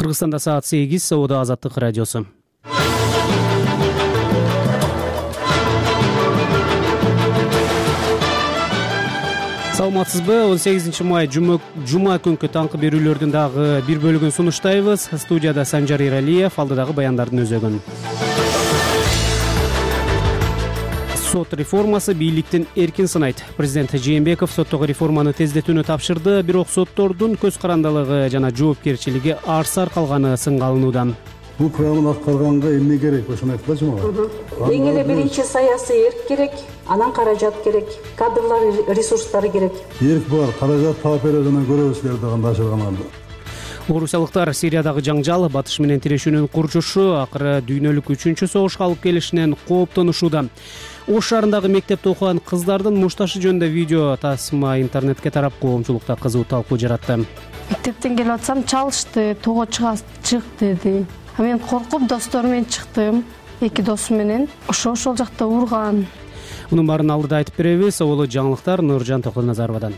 Кыргызстанда саат 8, Соода Азаттык радиосу. Саламатсызбы? 18 май жума күнкү таңкы берүүлөрдүн дагы бир бөлүгүн сунуштайбыз. Студияда Санжар Иралиев, алдыдагы баяндардын өзөгүн. Сот реформасы бийликтин эркин сынайт. Президент Жээнбеков соттогу реформаны тездетүүнү тапшырды, бирок соттордун көз карандылыгы жана жоопкерчилиги арсар калганы сынга алынууда. Бул программаны аткарганга эмне керек? Ошону айтпачы мага. Эң эле биринчи саясий эрк керек, анан каражат керек, кадрлар ресурстары керек. Эрк бар, каражат таап берет, анан көрөбүз силерди кандай ашырганарды. Орусиялыктар Сириядагы жаңжал, батыш менен тирешүүнүн курчушу акыры дүйнөлүк 3-чү согушка алып келишинен кооптонушууда. Ош шаарындагы мектепте окуган кыздардын мушташы жөнүндө видео тасма интернетке тарап коомчулукта кызуу талкуу жаратты. Мектептен келип атсам чалышты, тоого чык деди. Мен коркуп досторум менен чыктым, 2 досум менен. Ошол жакта урган. Мунун баарын алдыда айтып беребиз. Олу жаңылыктар Нуржан Токоназаровадан.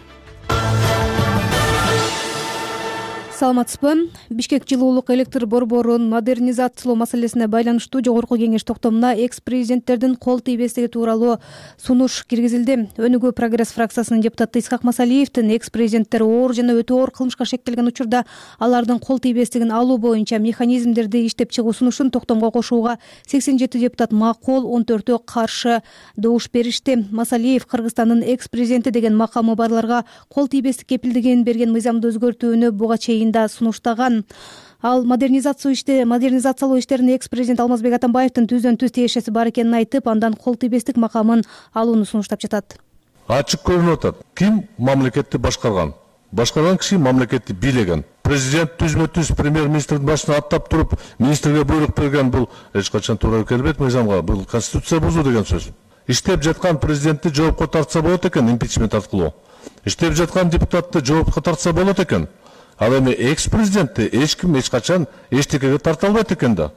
Саламатсызбы? Бишкек жылуулук электр борборун модернизациялоо маселесине байланыштуу жогорку кеңеш токтомуна экс-президенттердин кол тийбестиги тууралуу сунуш киргизилди. Өнүгүү прогресс фракциясынын депутаты Исхак Масалиевдин экс-президенттер оор жана өтө оор кылмышка шектелген учурда алардын кол тийбестигин алуу боюнча механизмдерди иштеп чыгуу сунушун токтомго кошууга 87 депутат макул, 14-өө каршы добуш беришти. Масалиев Кыргызстандын экс-президенти деген макамы барларга кол тийбестик кепилдигин берген мыйзамды өзгөртүүнү буга чейин сунуштаган. Ал модернизациялоо иштерине экс-президент Алмазбек Атамбаевдин түздөн-түз тиешеси бар экенин айтып, андан кол тийбестик макамын алууну сунуштап жатат. Ачык көрүнүп атат. Ким мамлекетти башкарган? Башкарган киши мамлекетти бийлеген. Президент түзмө-түз премьер-министрдин башына аттап туруп, министрге буйрук берген, бул эч качан туура келбейт мыйзамга. Бул конституция бузуу деген сөз. Иштеп жаткан президентти жоопко тартса болот экен, импичмент аркылуу. Иштеп жаткан депутатты жоопко тартса болот экен. Ал эми экс-президентти эч ким эч качан эчтекеге тарта албайт экен да.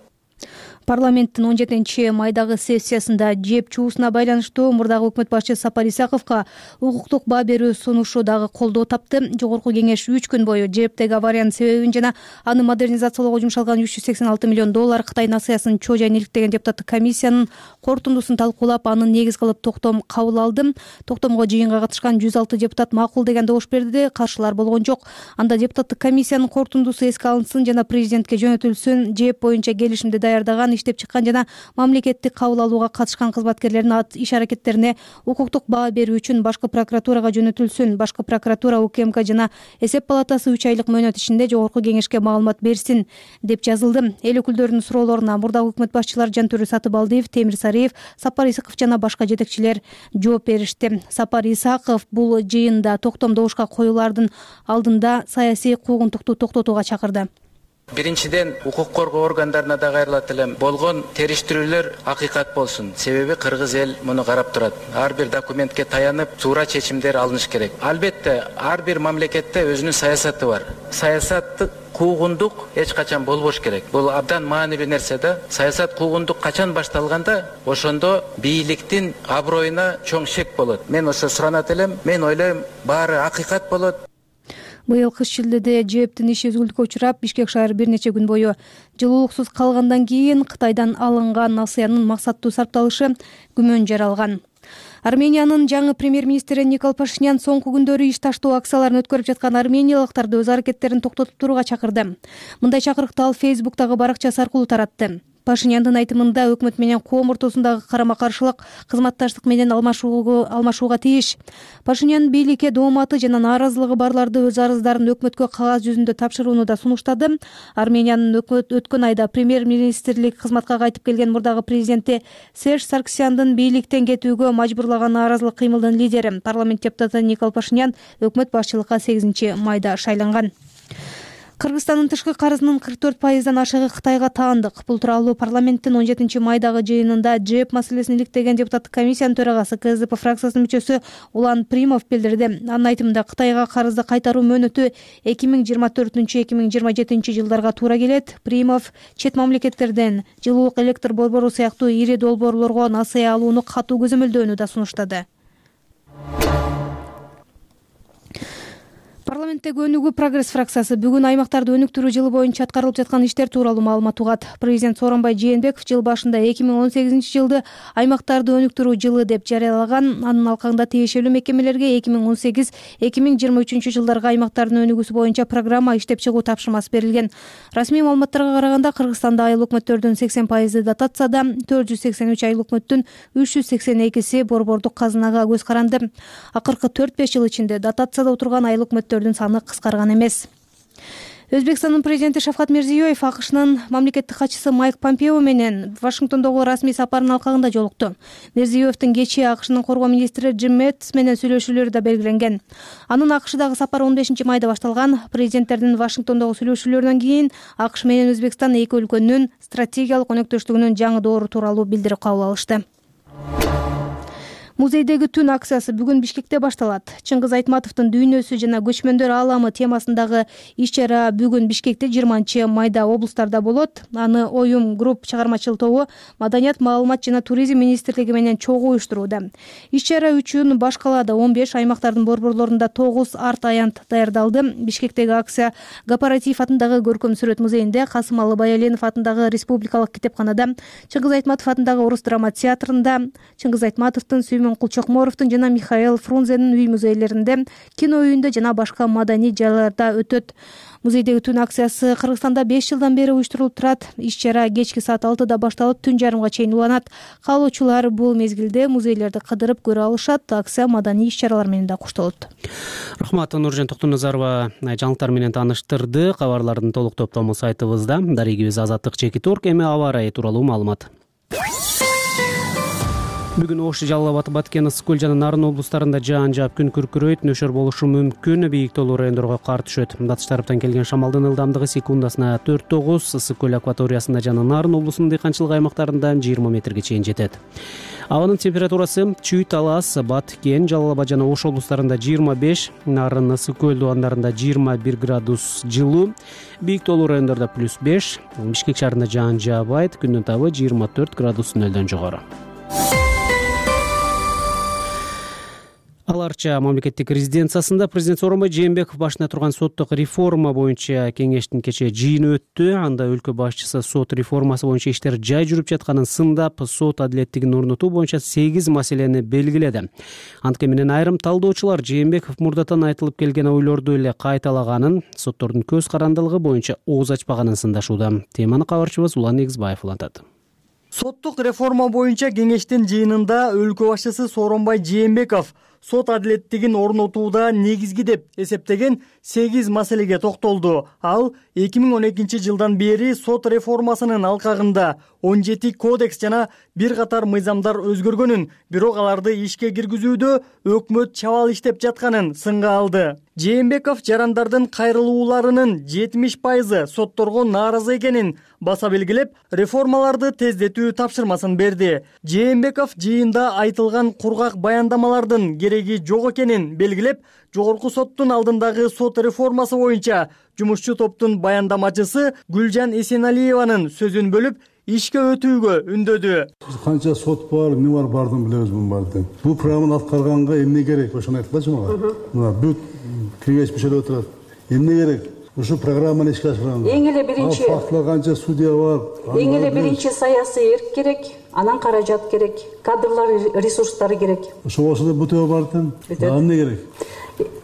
Парламенттин 17-майдагы сессиясында жеп чуусуна байланыштуу мурдагы өкмөт башчысы Сапар Исаковго укуктук баа берүү сунушу дагы колдоо тапты. Жогорку кеңеш 3 күн бою жептеги авариянын себебин жана аны модернизациялоого жумшалган 386 миллион доллар Кытай нациясын чожайын иликтеген депутаттык комиссиянын корутундусун талкуулап, анын негиз кылып токтом кабыл алды. Токтомго жыйынга катышкан 106 депутат макул деген добуш берди, каршылар болгон жок. Анда депутаттык комиссиянын корутундусу эске алынсын жана президентке жөнөтүлсүн, жеп боюнча келишимди даярдаган, иштеп чыккан жана мамлекеттик кабыл алууга катышкан кызматкерлердин иш-аракеттерине укуктук баа берүү үчүн башкы прокуратурага жөнөтүлсүн. Башкы прокуратура, УКМК жана эсеп палатасы 3 айлык мөөнөт ичинде жогорку кеңешке маалымат берсин деп жазылды. Эл өкүлдөрүнүн суроолоруна мурдагы өкмөт башчылары Жантөрө Сатыбалдиев, Темир Сариев, Сапар Исаков жана башка жетекчилер жооп беришти. Сапар Исаков бул жыйында токтом добушка коюлардын алдында саясий куугунтукту токтотууга чакырды. Биринчиден, укук коргоо органдарына да кайрылат элем. Болгон териштирүүлөр акыйкат болсун. Себеби кыргыз эл муну карап турат. Ар бир документке таянып, туура чечимдер алыныш керек. Албетте, ар бир мамлекетте өзүнүн саясаты бар. Саясатты куугундук эч качан болбош керек. Бул абдан маанилүү нерсе да. Саясат куугундук качан башталганда, ошондо бийликтин аброюна чоң шек болот. Мен ошо суранат элем. Мен ойлойм, баары акыйкат болот. Быйыл кыш шилдеде жептин иши үзгүлтүккө учурап, Бишкек шаары бир нече күн бою жылуулуксуз калгандан кийин Кытайдан алынган насыянын максаттуу сарпталышы күмөн жаралган. Армениянын жаңы премьер-министри Никол Пашинян соңку күндөрү иш таштоо акцияларын өткөрүп жаткан армениялыктарды өз аракеттерин токтотуп турууга чакырды. Мындай чакырыкты ал Фейсбуктагы баракчасы аркылуу таратты. Пашиняндын айтымында өкмөт менен коом ортосундагы карама-каршылык кызматташтык менен алмашууга тийиш. Пашинян бийликке дооматы жана нааразылыгы барларды өз арыздарын өкмөткө кагаз жүзүндө тапшырууну да сунуштады. Армениянын өткөн айда премьер-министрлик кызматка кайтып келген мурдагы президенти Серж Сарксяндын бийликтен кетүүгө мажбурлаган нааразылык кыймылдын лидери парламент депутаты Никол Пашинян өкмөт башчылыкка 8 майда шайланган. Кыргызстандын тышкы карызынын 44%дан ашыгы Кытайга таандык. Бул тууралуу парламенттин 17 майдагы жыйынында жеп маселесин иликтеген депутаттык комиссиянын төрагасы КСДП фракциясынын мүчөсү Улан Примов билдирди. Анын айтымында Кытайга карызды кайтаруу мөөнөтү 2024-2027 жылдарга туура келет. Примов чет мамлекеттерден жылуулук электр борбору сыяктуу ири долбоорлорго насыя алууну катуу көзөмөлдөөнү да сунуштады. Парламенттеги Өнүгүү Прогресс фракциясы бүгүн аймактарды өнүктүрүү жылы боюнча аткарылып жаткан иштер тууралуу маалымат угат. Президент Сооронбай Жээнбеков жыл башында 2018 жылды аймактарды өнүктүрүү жылы деп жарыялаган. Анын алкагында тиешелүү мекемелерге 2018-2023 жылдарга аймактардын өнүгүүсү боюнча программа иштеп чыгуу тапшырмасы берилген. Расмий маалыматтарга караганда Кыргызстанда айыл өкмөттөрдүн 80% дотацияда, 483 айыл өкмөттүн 382 борбордук казынага көз каранды. Акыркы 4-5 жыл ичинде дотацияда отурган айыл өкмөттөрдүн саны кыскарган эмес. Өзбекстандын президенти Шавкат Мирзиёев АКШнын мамлекеттик катчысы Майк Помпео менен Вашингтондогу расмий сапарынын алкагында жолукту. Мирзиёевдин кечээ АКШнын коргоо министри Джим Мэттис менен сүйлөшүүлөрү да белгиленген. Анын АКШдагы сапары 15 майда башталган. Президенттердин Вашингтондогу сүйлөшүүлөрүнөн кийин АКШ менен Өзбекстан эки өлкөнүн стратегиялык өнөктөштүгүнүн жаңы доору тууралуу билдирип кабыл алышты. Музейдеги түн акциясы бүгүн Бишкекте башталат. Чыңгыз Айтматовдун дүйнөсү жана көчмөндөр ааламы темасындагы иш-чара бүгүн Бишкекте 20 майда облустарда болот. Аны Оюм групп чыгармачыл тобу Маданият, маалымат жана туризм министрлиги менен чогуу уюштурууда. Иш-чара үчүн баш калаада 15, аймактардын борборлорунда 9 арт аянт даярдалды. Бишкектеги акция Гапаратиев атындагы көркөм сүрөт музейинде, Касымалы Баяленов атындагы республикалык китепканада, Чыңгыз Айтматов атындагы Орус драма театрында, Чыңгыз Айтматовдун, Сүймөн Кулчокморовдун жана Михаил Фрунзенин үй музейлеринде, кино үйүндө жана башка маданий жайларда өтөт. Музейдеги түн акциясы Кыргызстанда 5 жылдан бери уюштурулуп турат. Иш-чара кечки саат 6да башталып, түн жарымга чейин уланат. Каалоочулар бул мезгилде музейлерди кыдырып көрө алышат. Акция маданий иш-чаралар менен да коштолот. Рахмат, Нуржан Токтоназарова жаңылыктар менен тааныштырды. Кабарлардын толук топтому сайтыбызда. Дарегибиз Азаттык.org. Эми аба ырайы тууралуу маалымат. Бүгүн Ош, Жалал Абад, Баткен, Ысык Көл жана Нарын облустарында жаан жаап, күн күркүрөйт, нөшөр болушу мүмкүн. Бийик тоолуу райондорго кар түшөт. Батыш тараптан келген шамалдын ылдамдыгы секундасына 4-9, Ысык Көл акваториясында жана Нарын облусунун дыйканчылык аймактарында 20 метрге чейин жетет. Абанын температурасы Чүй, Талас, Баткен, Жалал Абад жана Ош облустарында 25, Нарын, Ысык Көл дубандарында 21 градус жылуу. Бийик тоолуу райондордо +5, Бишкек шаарында жаан жаабайт, күндүн табы 24 градус нөлдөн жогору. Аларча мамлекеттик резиденциясында президент Сооронбай Жээнбеков башында турган соттук реформа боюнча кеңештин кечээ жыйыны өттү. Анда өлкө башчысы сот реформасы боюнча иштер жай жүрүп жатканын сындап, сот адилеттигин орнотуу боюнча 8 маселени белгиледи. Антке менен айрым талдоочулар Жээнбеков мурдатан айтылып келген ойлорду эле кайталаганын, соттордун көз карандылыгы боюнча ооз ачпаганын сындашууда. Теманы кабарчыбыз Улан Негизбаев улантат. Соттук реформа боюнча кеңештин жыйынында өлкө башчысы Сооронбай Жээнбеков сот адилеттигин орнотууда негизги деп эсептеген 8 маселеге токтолду. Ал 2012 жылдан бери сот реформасынын алкагында 17 кодекс жана бир катар мыйзамдар өзгөргөнүн, бирок аларды ишке киргизүүдө өкмөт чабал иштеп жатканын сынга алды. Жээнбеков жарандардын кайрылууларынын 70% сотторго нааразы экенин баса белгилеп, реформаларды тездетүү тапшырмасын берди. Жээнбеков жыйында айтылган кургак баяндамалардын кереги жок экенин белгилеп, жогорку соттун алдындагы сот реформасы боюнча жумушчу топтун баяндамачысы Гүлжан Эсеналиеванын сөзүн бөлүп, ишке өтүүгө үндөдү. Канча сот бар, эмне бар, бардым билебиз бун барды. Бул программаны аткарганга эмне керек? Ошону айтпачы мага. Мына бүт кеңеш мүчөлөрү отурат. Эмне керек? Ушу программаны ишке ашырганга. Эң эле биринчи фактылар канча судья бар. Эң эле биринчи саясий эрк керек, анан каражат керек, кадрлар ресурстары керек. Ошого бүтөбү бар экен. Эмне керек?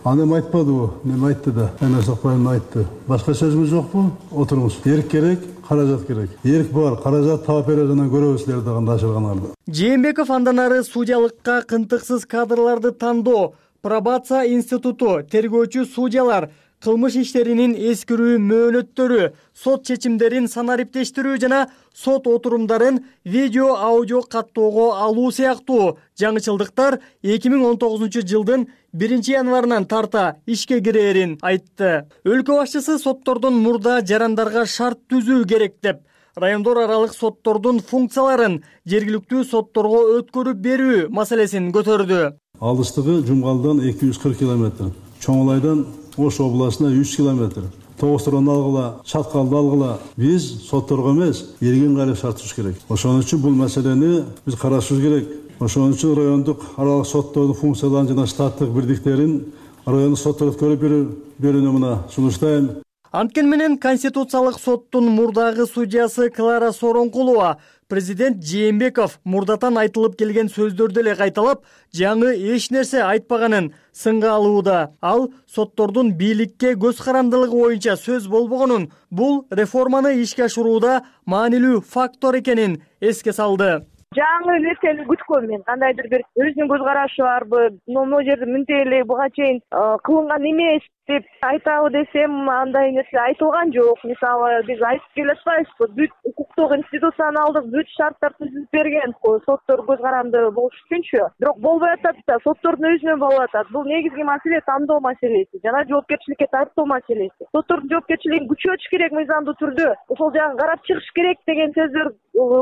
Анем айтпадыбы? Неме айтты да? Эне Сокбаев айтты. Башка сөзүңүз жокпу? Отуруңуз. Эрк керек, каражат керек. Эрк бар, каражат таап берүүдөн көрөбүз силерди кандай ашырганарды. Жээнбеков андан ары судьялыкка кынтыксыз кадрларды тандоо, пробация институту, тергөөчү судьялар, кылмыш иштеринин эскирүү мөөнөттөрү, сот чечимдерин санариптештирүү жана сот отурумдарын видео, аудио каттоого алуу сыяктуу жаңычылдыктар 2019 жылдын 1 январынан тарта ишке кирээрин айтты. Өлкө башчысы соттордун мурда жарандарга шарт түзүү керек деп, райондор аралык соттордун функцияларын жергиликтүү сотторго өткөрүп берүү маселесин көтөрдү. Алыстыгы Жумгалдан 240 км, Чоңолайдан Ош областына 100 км. Тогустуран алгыла, Чаткалды алгыла. Биз сотторго эмес, эрген кайрып шарт түзүш керек. Ошон үчүн бул маселени биз карашыбыз керек. Ошон үчүн райондук аралык соттордун функцияларын жана штаттык бирдиктерин райондук сотторду көрүп берүүнү мына сунуштайм. Анткени менен Конституциялык соттун мурдагы судьясы Клара Сооронкулова президент Жээнбеков мурдатан айтылып келген сөздөрдү эле кайталап, жаңы эч нерсе айтпаганын сынга алууда. Ал соттордун бийликке көз карандылыгы боюнча сөз болбогонун, бул реформаны ишке ашырууда маанилүү фактор экенин эске салды. Жаңы нерсени күткөм мен, кандайдыр бир өзүнүн көз карашы барбы, могу жерде мынтип эле буга чейин кылынган эмес деп айтабы десем, андай нерсе айтылган жок. Мисалы, биз айтып келатпайбызбы, бүт укуктук институционалдык бүт шарттар түзүп берген, соттор көз каранды болуш үчүнчү. Бирок болбой атат да, соттордун өзүнөн болуп атат. Бул негизги маселе тандоо маселеси жана жоопкерчиликке тартуу маселеси. Соттордун жоопкерчилигин күчөтүш керек мыйзамдуу түрдө. Ошол жагын карап чыгыш керек деген сөздөр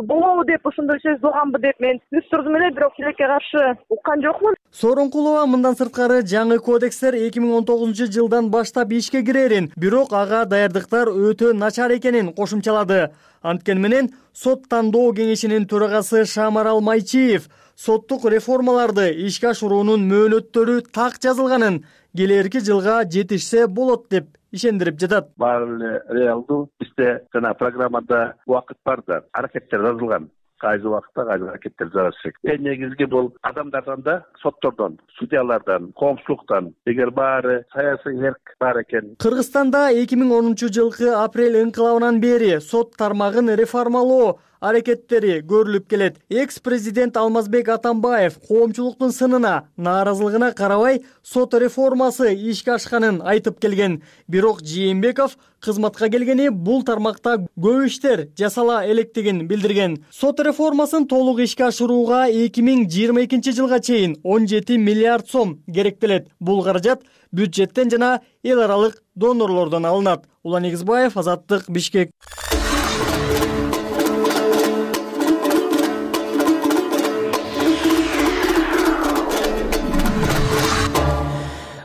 болобу деп, ошондой сөз болгонбу деп мен түз турдум эле, бирок тилекке каршы уккан жокмун. Сооронкулова мындан сырткары жаңы кодекстер 2019-жылдан баштап ишке кирерин, бирок ага даярдыктар өтө начар экенин кошумчалады. Анткени менен сот тандоо кеңешинин төрагасы Шамарал Майчиев соттук реформаларды ишке ашыруунун мөөнөттөрү так жазылганын, келерки жылга жетишсе болот деп ишендирип жатат. Баары эле реалдуу, бизде жана программада убакыт бар да, аракеттер жазылган. Кайсы убакытта кайсы аракеттер жасалат. Эң негизги бул адамдардан да, соттордон, судьялардан, коомчулуктан, эгер баары саясий эрк бар экен. Кыргызстанда 2010-жылкы апрель инкылабынан бери сот тармагын реформалоо аракеттери көрүлүп келет. Экс-президент Алмазбек Атамбаев коомчулуктун сынына, нааразылыгына карабай сот реформасы ишке ашканын айтып келген. Бирок Жээнбеков кызматка келгени бул тармакта көп иштер жасала электигин билдирген. Сот реформасын толук ишке ашырууга 2022-жылга чейин 17 миллиард сом керектелет. Бул каражат бюджеттен жана эл аралык донорлордон алынат. Улан Негизбаев, Азаттык, Бишкек.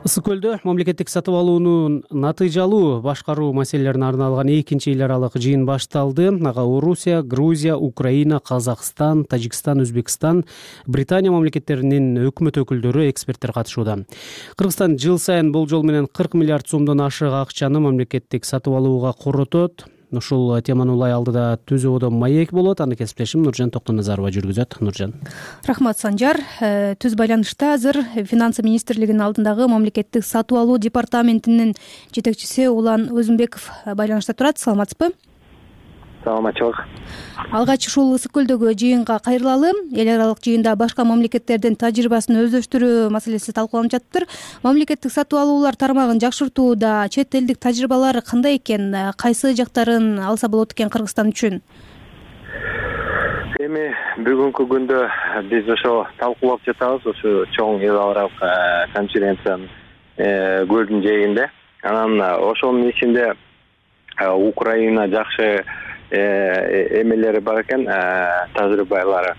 Ысык көлдө мамлекеттик сатып алуунун натыйжалуу башкаруу маселелерине арналган экинчи эл аралык жыйын башталды. Ага Орусия, Грузия, Украина, Казакстан, Тажикстан, Өзбекстан, Британия мамлекеттеринин өкмөт өкүлдөрү, эксперттер катышууда. Кыргызстан жыл сайын болжол менен 40 миллиард сомдон ашык акчаны мамлекеттик сатып алууга коротот. Ушул теманы улай алдыда түзүүдө маек болот. Аны кесиптешим Нуржан Токтоназарова жүргүзөт. Нуржан. Рахмат, Санжар. Түз байланышта азыр Финансы министрлигинин алдындагы мамлекеттик сатып алуу департаментинин жетекчиси Улан Өзүнбеков байланышта турат. Саламатсызбы? Саламатчылык. Алгач ушул Ысык көлдөгү жыйынга кайрылалы. Эл аралык жыйында башка мамлекеттердин тажрыйбасын өздөштүрүү маселеси талкууланып жатыптыр. Мамлекеттик сатып алуулар тармагын жакшыртууда чет элдик тажрыйбалар кандай экен? Кайсы жактарын алса болот экен Кыргызстан үчүн? Эми бүгүнкү күндө биз ошо талкуулап жатабыз, ошо чоң эл аралык конференциянын көзүн жээгинде. Анан ошонун ичинде Украина жакшы эмелери бар экен, тажрыйбалары.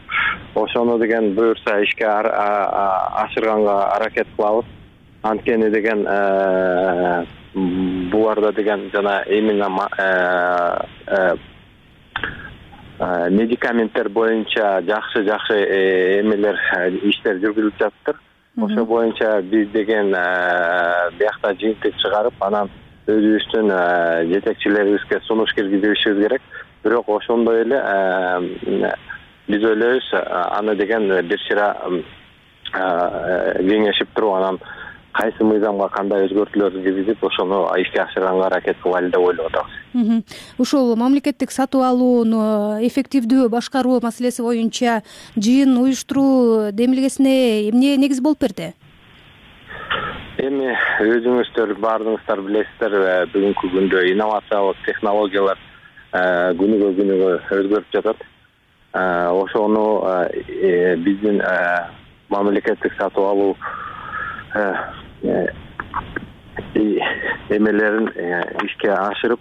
Ошону деген буюрса ишке ашырганга аракет кылабыз. Анткени деген буларда деген жана именно медикаменттер боюнча жакшы эмелер, иштер жүргүзүлүп жатыптыр. Ошо боюнча биз деген биякта жыйынтык чыгарып, анан өзүбүздүн жетекчилерибизге сунуш киргизишибиз керек. Бирок ошондой эле биз ойлойбуз, аны деген бир чыра кеңешип туруп, анан кайсы мыйзамга кандай өзгөртүүлөрдү киргизип, ошону ишке ашырганга аракет кылайлы деп ойлоп атабыз. Ушул мамлекеттик сатып алууну эффективдүү башкаруу маселеси боюнча жыйын уюштуруу демилгесине эмне негиз болуп берди? Эми өзүңүздөр баардыгыңыздар билесиздер, бүгүнкү күндө инновациялык технологиялар күнүгө өзгөрүп жатат. Ошону биздин мамлекеттик сатып алуу эмелерин ишке ашырып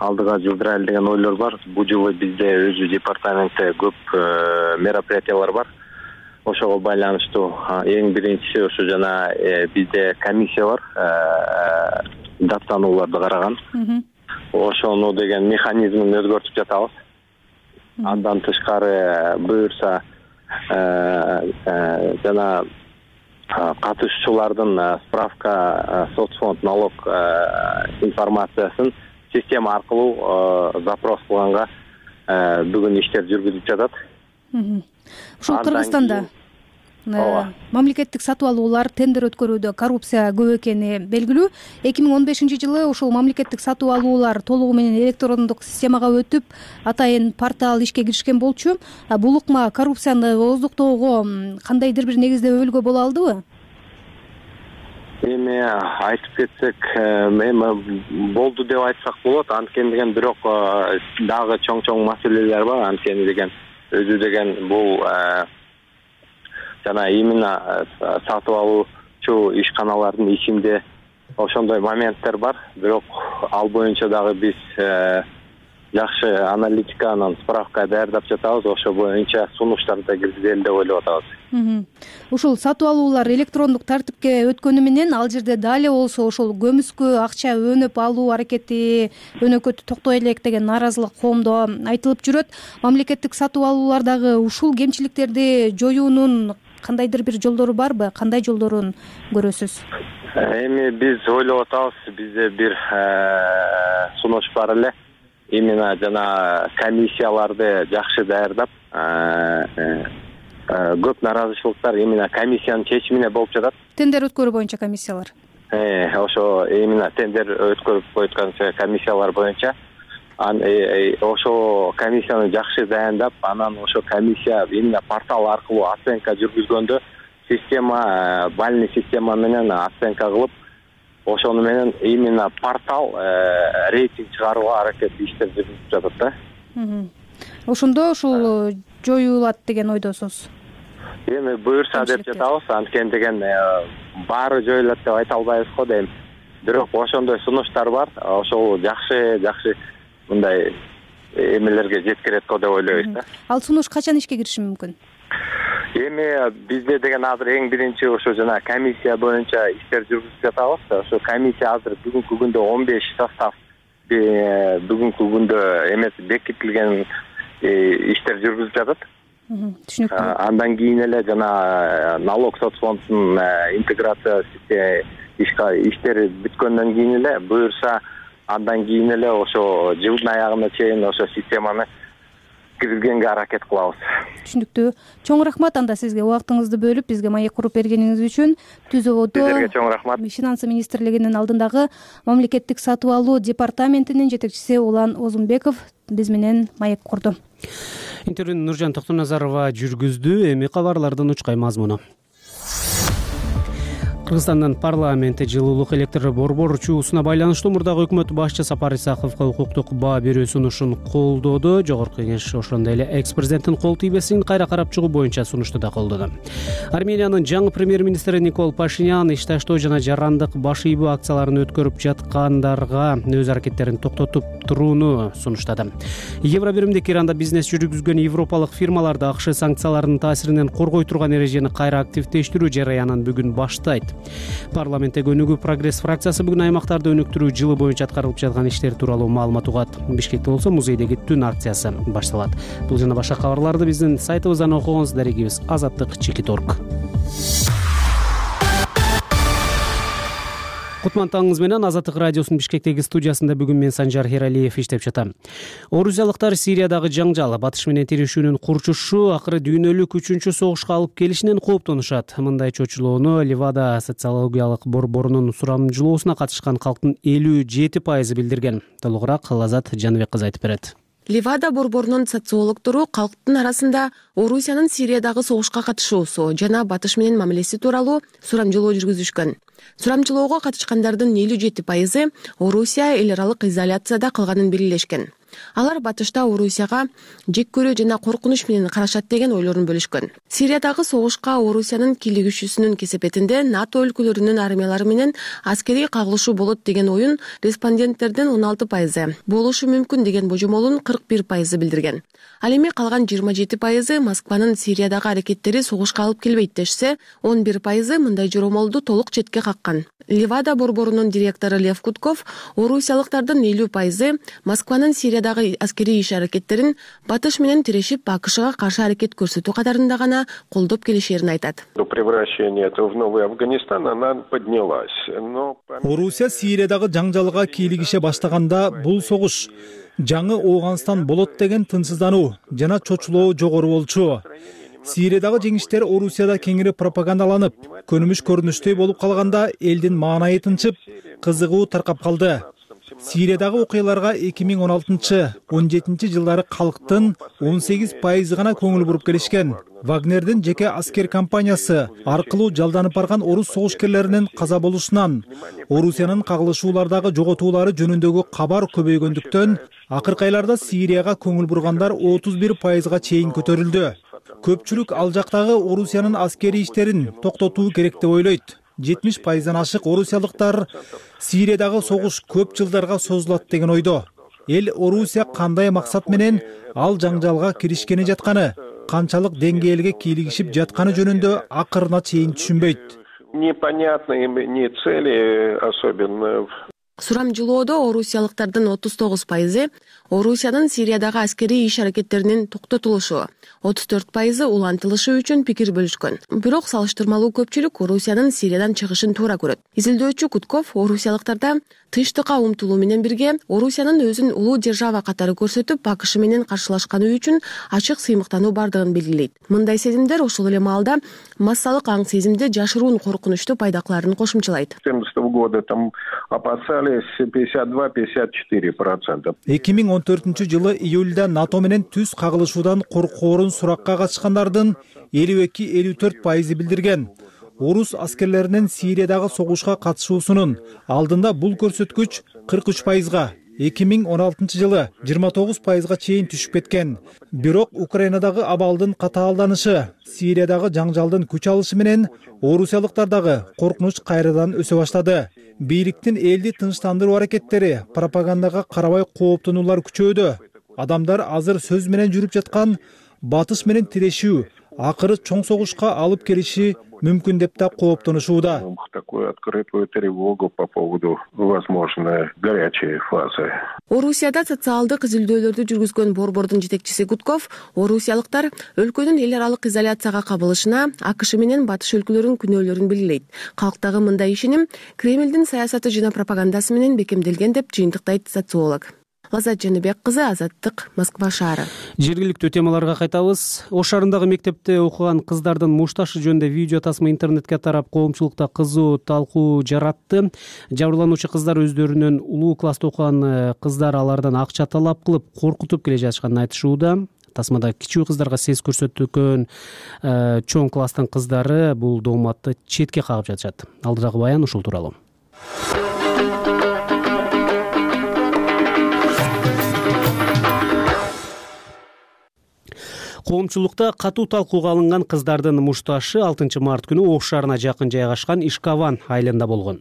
алдыга жылдырайлы деген ойлор бар. Бул жылы бизде өзү департаментте көп мероприятиялар бар. Ошого байланыштуу эң биринчиси ошо жана бизде комиссия бар, даттанууларды караган. Ошону деген механизмин өзгөртүп жатабыз. Андан тышкары буюрса жана катышуучулардын справка соцфонд налог информациясын система аркылуу запрос кылганга бүгүн иштер жүргүзүлүп жатат. Ушул Кыргызстанда мамлекеттик сатып алуулар, тендер өткөрүүдө коррупция көп экени белгилүү. 2015-жылы ушул мамлекеттик сатып алуулар толугу менен электрондук системага өтүп, атайын портал ишке киришкен болчу. Бул ыкма коррупцияны ооздуктоого кандайдыр бир негиздөө боло алдыбы? Эми айтып кетсек, болду деп айтсак болот. Анткени деген бирок дагы чоң маселелер бар. Анткени деген өзү деген бул жана именно сатып алуучу ишканалардын ичинде ошондой моменттер бар. Бирок ал боюнча дагы биз жакшы аналитика анан справка даярдап жатабыз. Ошо боюнча сунуштарды да киргизели деп ойлоп атабыз. Ушул сатып алуулар электрондук тартипке өткөнү менен ал жерде дали болсо ошол көмүскө акча өнөп алуу аракети өнөкөтү токтой элек деген нааразылык коомдо айтылып жүрөт. Мамлекеттик сатып алуулардагы ушул кемчиликтерди жоюунун кандайдыр бир жолдору барбы? Кандай жолдорун көрөсүз? Эми биз ойлоп атабыз, бизде бир сунуш бар эле. Именно жана комиссияларды жакшы даярдап, көп нааразычылыктар именно комиссиянын чечимине болуп жатат. Тендер өткөрүү боюнча комиссиялар. Ошо именно тендер өткөрүп койгон комиссиялар боюнча ошо комиссияны жакшы дайындап, анан ошо комиссия именно портал аркылуу оценка жүргүзгөндө система, бальный система менен оценка кылып, ошону менен именно портал рейтинг чыгарууга аракет иштер жүргүзүп жатат да. Ошондо ушул жоюлат деген ойдосуз? Эми буюрса деп жатабыз. Анткени деген баары жоюлат деп айта албайбыз го дейм. Бирок ошондой сунуштар бар. Ошол жакшы мындай эмелерге жеткирет го деп ойлойбуз да. Ал сунуш качан ишке кириши мүмкүн? Эми бизде деген азыр эң биринчи ошо жана комиссия боюнча иштер жүргүзүп жатабыз. Ошо комиссия азыр бүгүнкү күндө 15 состав бүгүнкү күндө эмес бекитилген иштер жүргүзүп жатат. Түшүнүктүү. Андан кийин эле жана налог соцфондун интеграция иштери бүткөндөн кийин эле буюрса андан кийин эле ошо жылдын аягына чейин ошо системаны киргизгенге аракет кылабыз. Түшүнүктүү. Чоң рахмат анда сизге убактыңызды бөлүп бизге маек куруп бергениңиз үчүн. Түз абодо сизерге чоң рахмат. Финансы министрлигинин алдындагы мамлекеттик сатып алуу департаментинин жетекчиси Улан Озунбеков биз менен маек курду. Интервьюну Нуржан Токтоназарова жүргүздү. Эми кабарлардын учкай мазмуну. Кыргызстандын парламенти жылуулук электр борбор чуусуна байланыштуу мурдагы өкмөт башчы Сапар Исаковго укуктук баа берүү сунушун колдоду. Жогорку Кеңеш ошондой эле экс-президенттин кол тийбесин кайра карап чыгуу боюнча сунушту да колдоду. Армениянын жаңы премьер-министри Никол Пашинян иш таштоо жана жарандык баш ийбөө акцияларын өткөрүп жаткандарга өз аракеттерин токтотуп турууну сунуштады. Евробиримдик Иранда бизнес жүргүзгөн европалык фирмаларды АКШ санкцияларынын таасиринен коргой турган эрежени кайра активдештирүү жараянын бүгүн баштайт. Парламентте Өнүгүү прогресс фракциясы бүгүн аймактарды өнүктүрүү жылы боюнча аткарылып жаткан иштер тууралуу маалымат угат. Бишкекте болсо музейдеги түн акциясы башталат. Бул жана башка кабарларды биздин сайтыбыздан окугуңуз. Дарегибиз azаттык.org. Кутман таңыңыз менен Азаттык радиосунун Бишкектеги студиясында бүгүн мен Санжар Хералиев иштеп жатам. Орусиялыктар Сириядагы жаңжал, батыш менен тирешүүнүн курчушу акыры дүйнөлүк 3-чү согушка алып келишинен кооптонушат. Мындай чочулоону Ливада социологиялык борборунун сурамжылоосуна катышкан калктын 57% билдирген. Толугураак Лазат Жаныбек кызы айтып берет. Ливада борборунун социологдору калктын арасында Орусиянын Сириядагы согушка катышуусу жана батыш менен мамилеси тууралуу сурамжылоо жүргүзүшкөн. Сурамжылоого катышкандардын 57% Орусия эл аралык изоляцияда калганын белгилешкен. Алар батышта Орусияга жек көрүү жана коркунуч менен карашат деген ойлорун бөлүшкөн. Сириядагы согушка Орусиянын кийлигишүүсүнүн кесепетинде НАТО өлкөлөрүнүн армиялары менен аскерий кагылышуу болот деген оюн респонденттердин 16%, болушу мүмкүн деген божомолун 41% билдирген. Ал эми калган 27% Москванын Сириядагы аракеттери согушка алып келбейт дешсе, 11% мындай жоромолду толук четке каккан. Ливада борборунун директору Лев Кутков Орусиялыктардын 50% Москванын Сириядагы Сириядагы аскерий иш-аракеттерин Батыш менен тирешип АКШга каршы аракет көрсөтүү катарында гана колдоп келишерин айтат. До превращения в новый Афганистан она поднялась. Орусия Сириядагы жаңжалга кийлигише баштаганда бул согуш жаңы Ооганстан болот деген тынчсыздануу жана чочулоо жогору болчу. Сириядагы жеңиштер Орусияда кеңири пропагандаланып, көнүмүш көрүнүштөй болуп калганда элдин маанайы тынчып, кызыгуу таркап калды. Сириядагы окуяларга 2016-17 жылдары калктын 18% гана көңүл буруп келишкен. Вагнердин жеке аскер компаниясы аркылуу жалданып барган орус согушкерлеринин каза болушунан, Орусиянын кагылышуулардагы жоготуулары жөнүндөгү кабар көбөйгөндүктөн, акыркы айларда Сирияга көңүл бургандар 31%га чейин көтөрүлдү. Көпчүлүк ал жактагы Орусиянын аскерий иштерин токтотуу керек деп ойлойт. 70%дан ашык орусиялыктар Сириядагы согуш көп жылдарга созулат деген ойдо. Эл Орусия кандай максат менен ал жаңжалга киришкени жатканы, канчалык деңгээлге кийлигишип жатканы жөнүндө акырына чейин түшүнбөйт. Непонятные ни цели особенно. Сурамжылоодо орусиялыктардын 39% Орусиянын Сириядагы аскерий иш-аракеттеринин токтотулушу, 34% улантылышы үчүн пикир бөлүшкөн. Бирок салыштырмалуу көпчүлүк Орусиянын Сириядан чыгышын туура көрөт. Изилдөөчү Кутков орусиялыктарда тынчтыкка умтулуу менен бирге Орусиянын өзүн улуу держава катары көрсөтүп, АКШ менен каршылашканы үчүн ачык сыймыктануу бардыгын белгилейт. Мындай сезимдер ошол эле маалда массалык аң сезимди жашыруун коркунучту пайда кыларын кошумчалайт. 1970 там опасались 52-54%. 2014 жылы июлда НАТО менен түз кагылышуудан коркоорун суракка катышкандардын 52-54% билдирген. Орус аскерлеринин Сириядагы согушка катышуусунун алдында бул көрсөткүч 43%га, 2016 жылы 29%га чейин түшүп кеткен. Бирок Украинадагы абалдын катаалданышы, Сириядагы жаңжалдын күч алышы менен орусиялыктардагы коркунуч кайрадан өсө баштады. Бийликтин элди тынчтандыруу аракеттери, пропагандага карабай кооптонуулар күчөдү. Адамдар азыр сөз менен жүрүп жаткан Батыш менен тирешүү акыры чоң согушка алып келиши мүмкүн деп да кооптонушууда. Такую открытую тревогу по поводу возможной горячей фазы. Орусияда социалдык изилдөөлөрдү жүргүзгөн борбордун жетекчиси Гудков орусиялыктар өлкөнүн эл аралык изоляцияга кабылышына АКШ менен Батыш өлкөлөрүнүн күнөөлөрүн белгилейт. Калктагы мындай ишеним Кремлдин саясаты жана пропагандасы менен бекемделген деп жыйынтыктайт социолог. Лазат Жаныбек кызы, Азаттык, Москва шаары. Жергиликтүү темаларга кайтабыз. Ош шаарындагы мектепте окуган кыздардын мушташы жөнүндө видео тасма интернетке тарап, коомчулукта кызуу талкуу жаратты. Жабырлануучу кыздар өздөрүнүн улуу класста окуган кыздар алардан акча талап кылып, коркутуп келе жатышканын айтышууда. Тасмада кичүү кыздарга сес көрсөткөн чоң класстын кыздары бул дооматты четке кагып жатышат. Алдыдагы баян ушул тууралуу. Коомчулукта катуу талкууга алынган кыздардын мушташы 6 март күнү Ош шаарына жакын жайгашкан Ишкаван айылында болгон.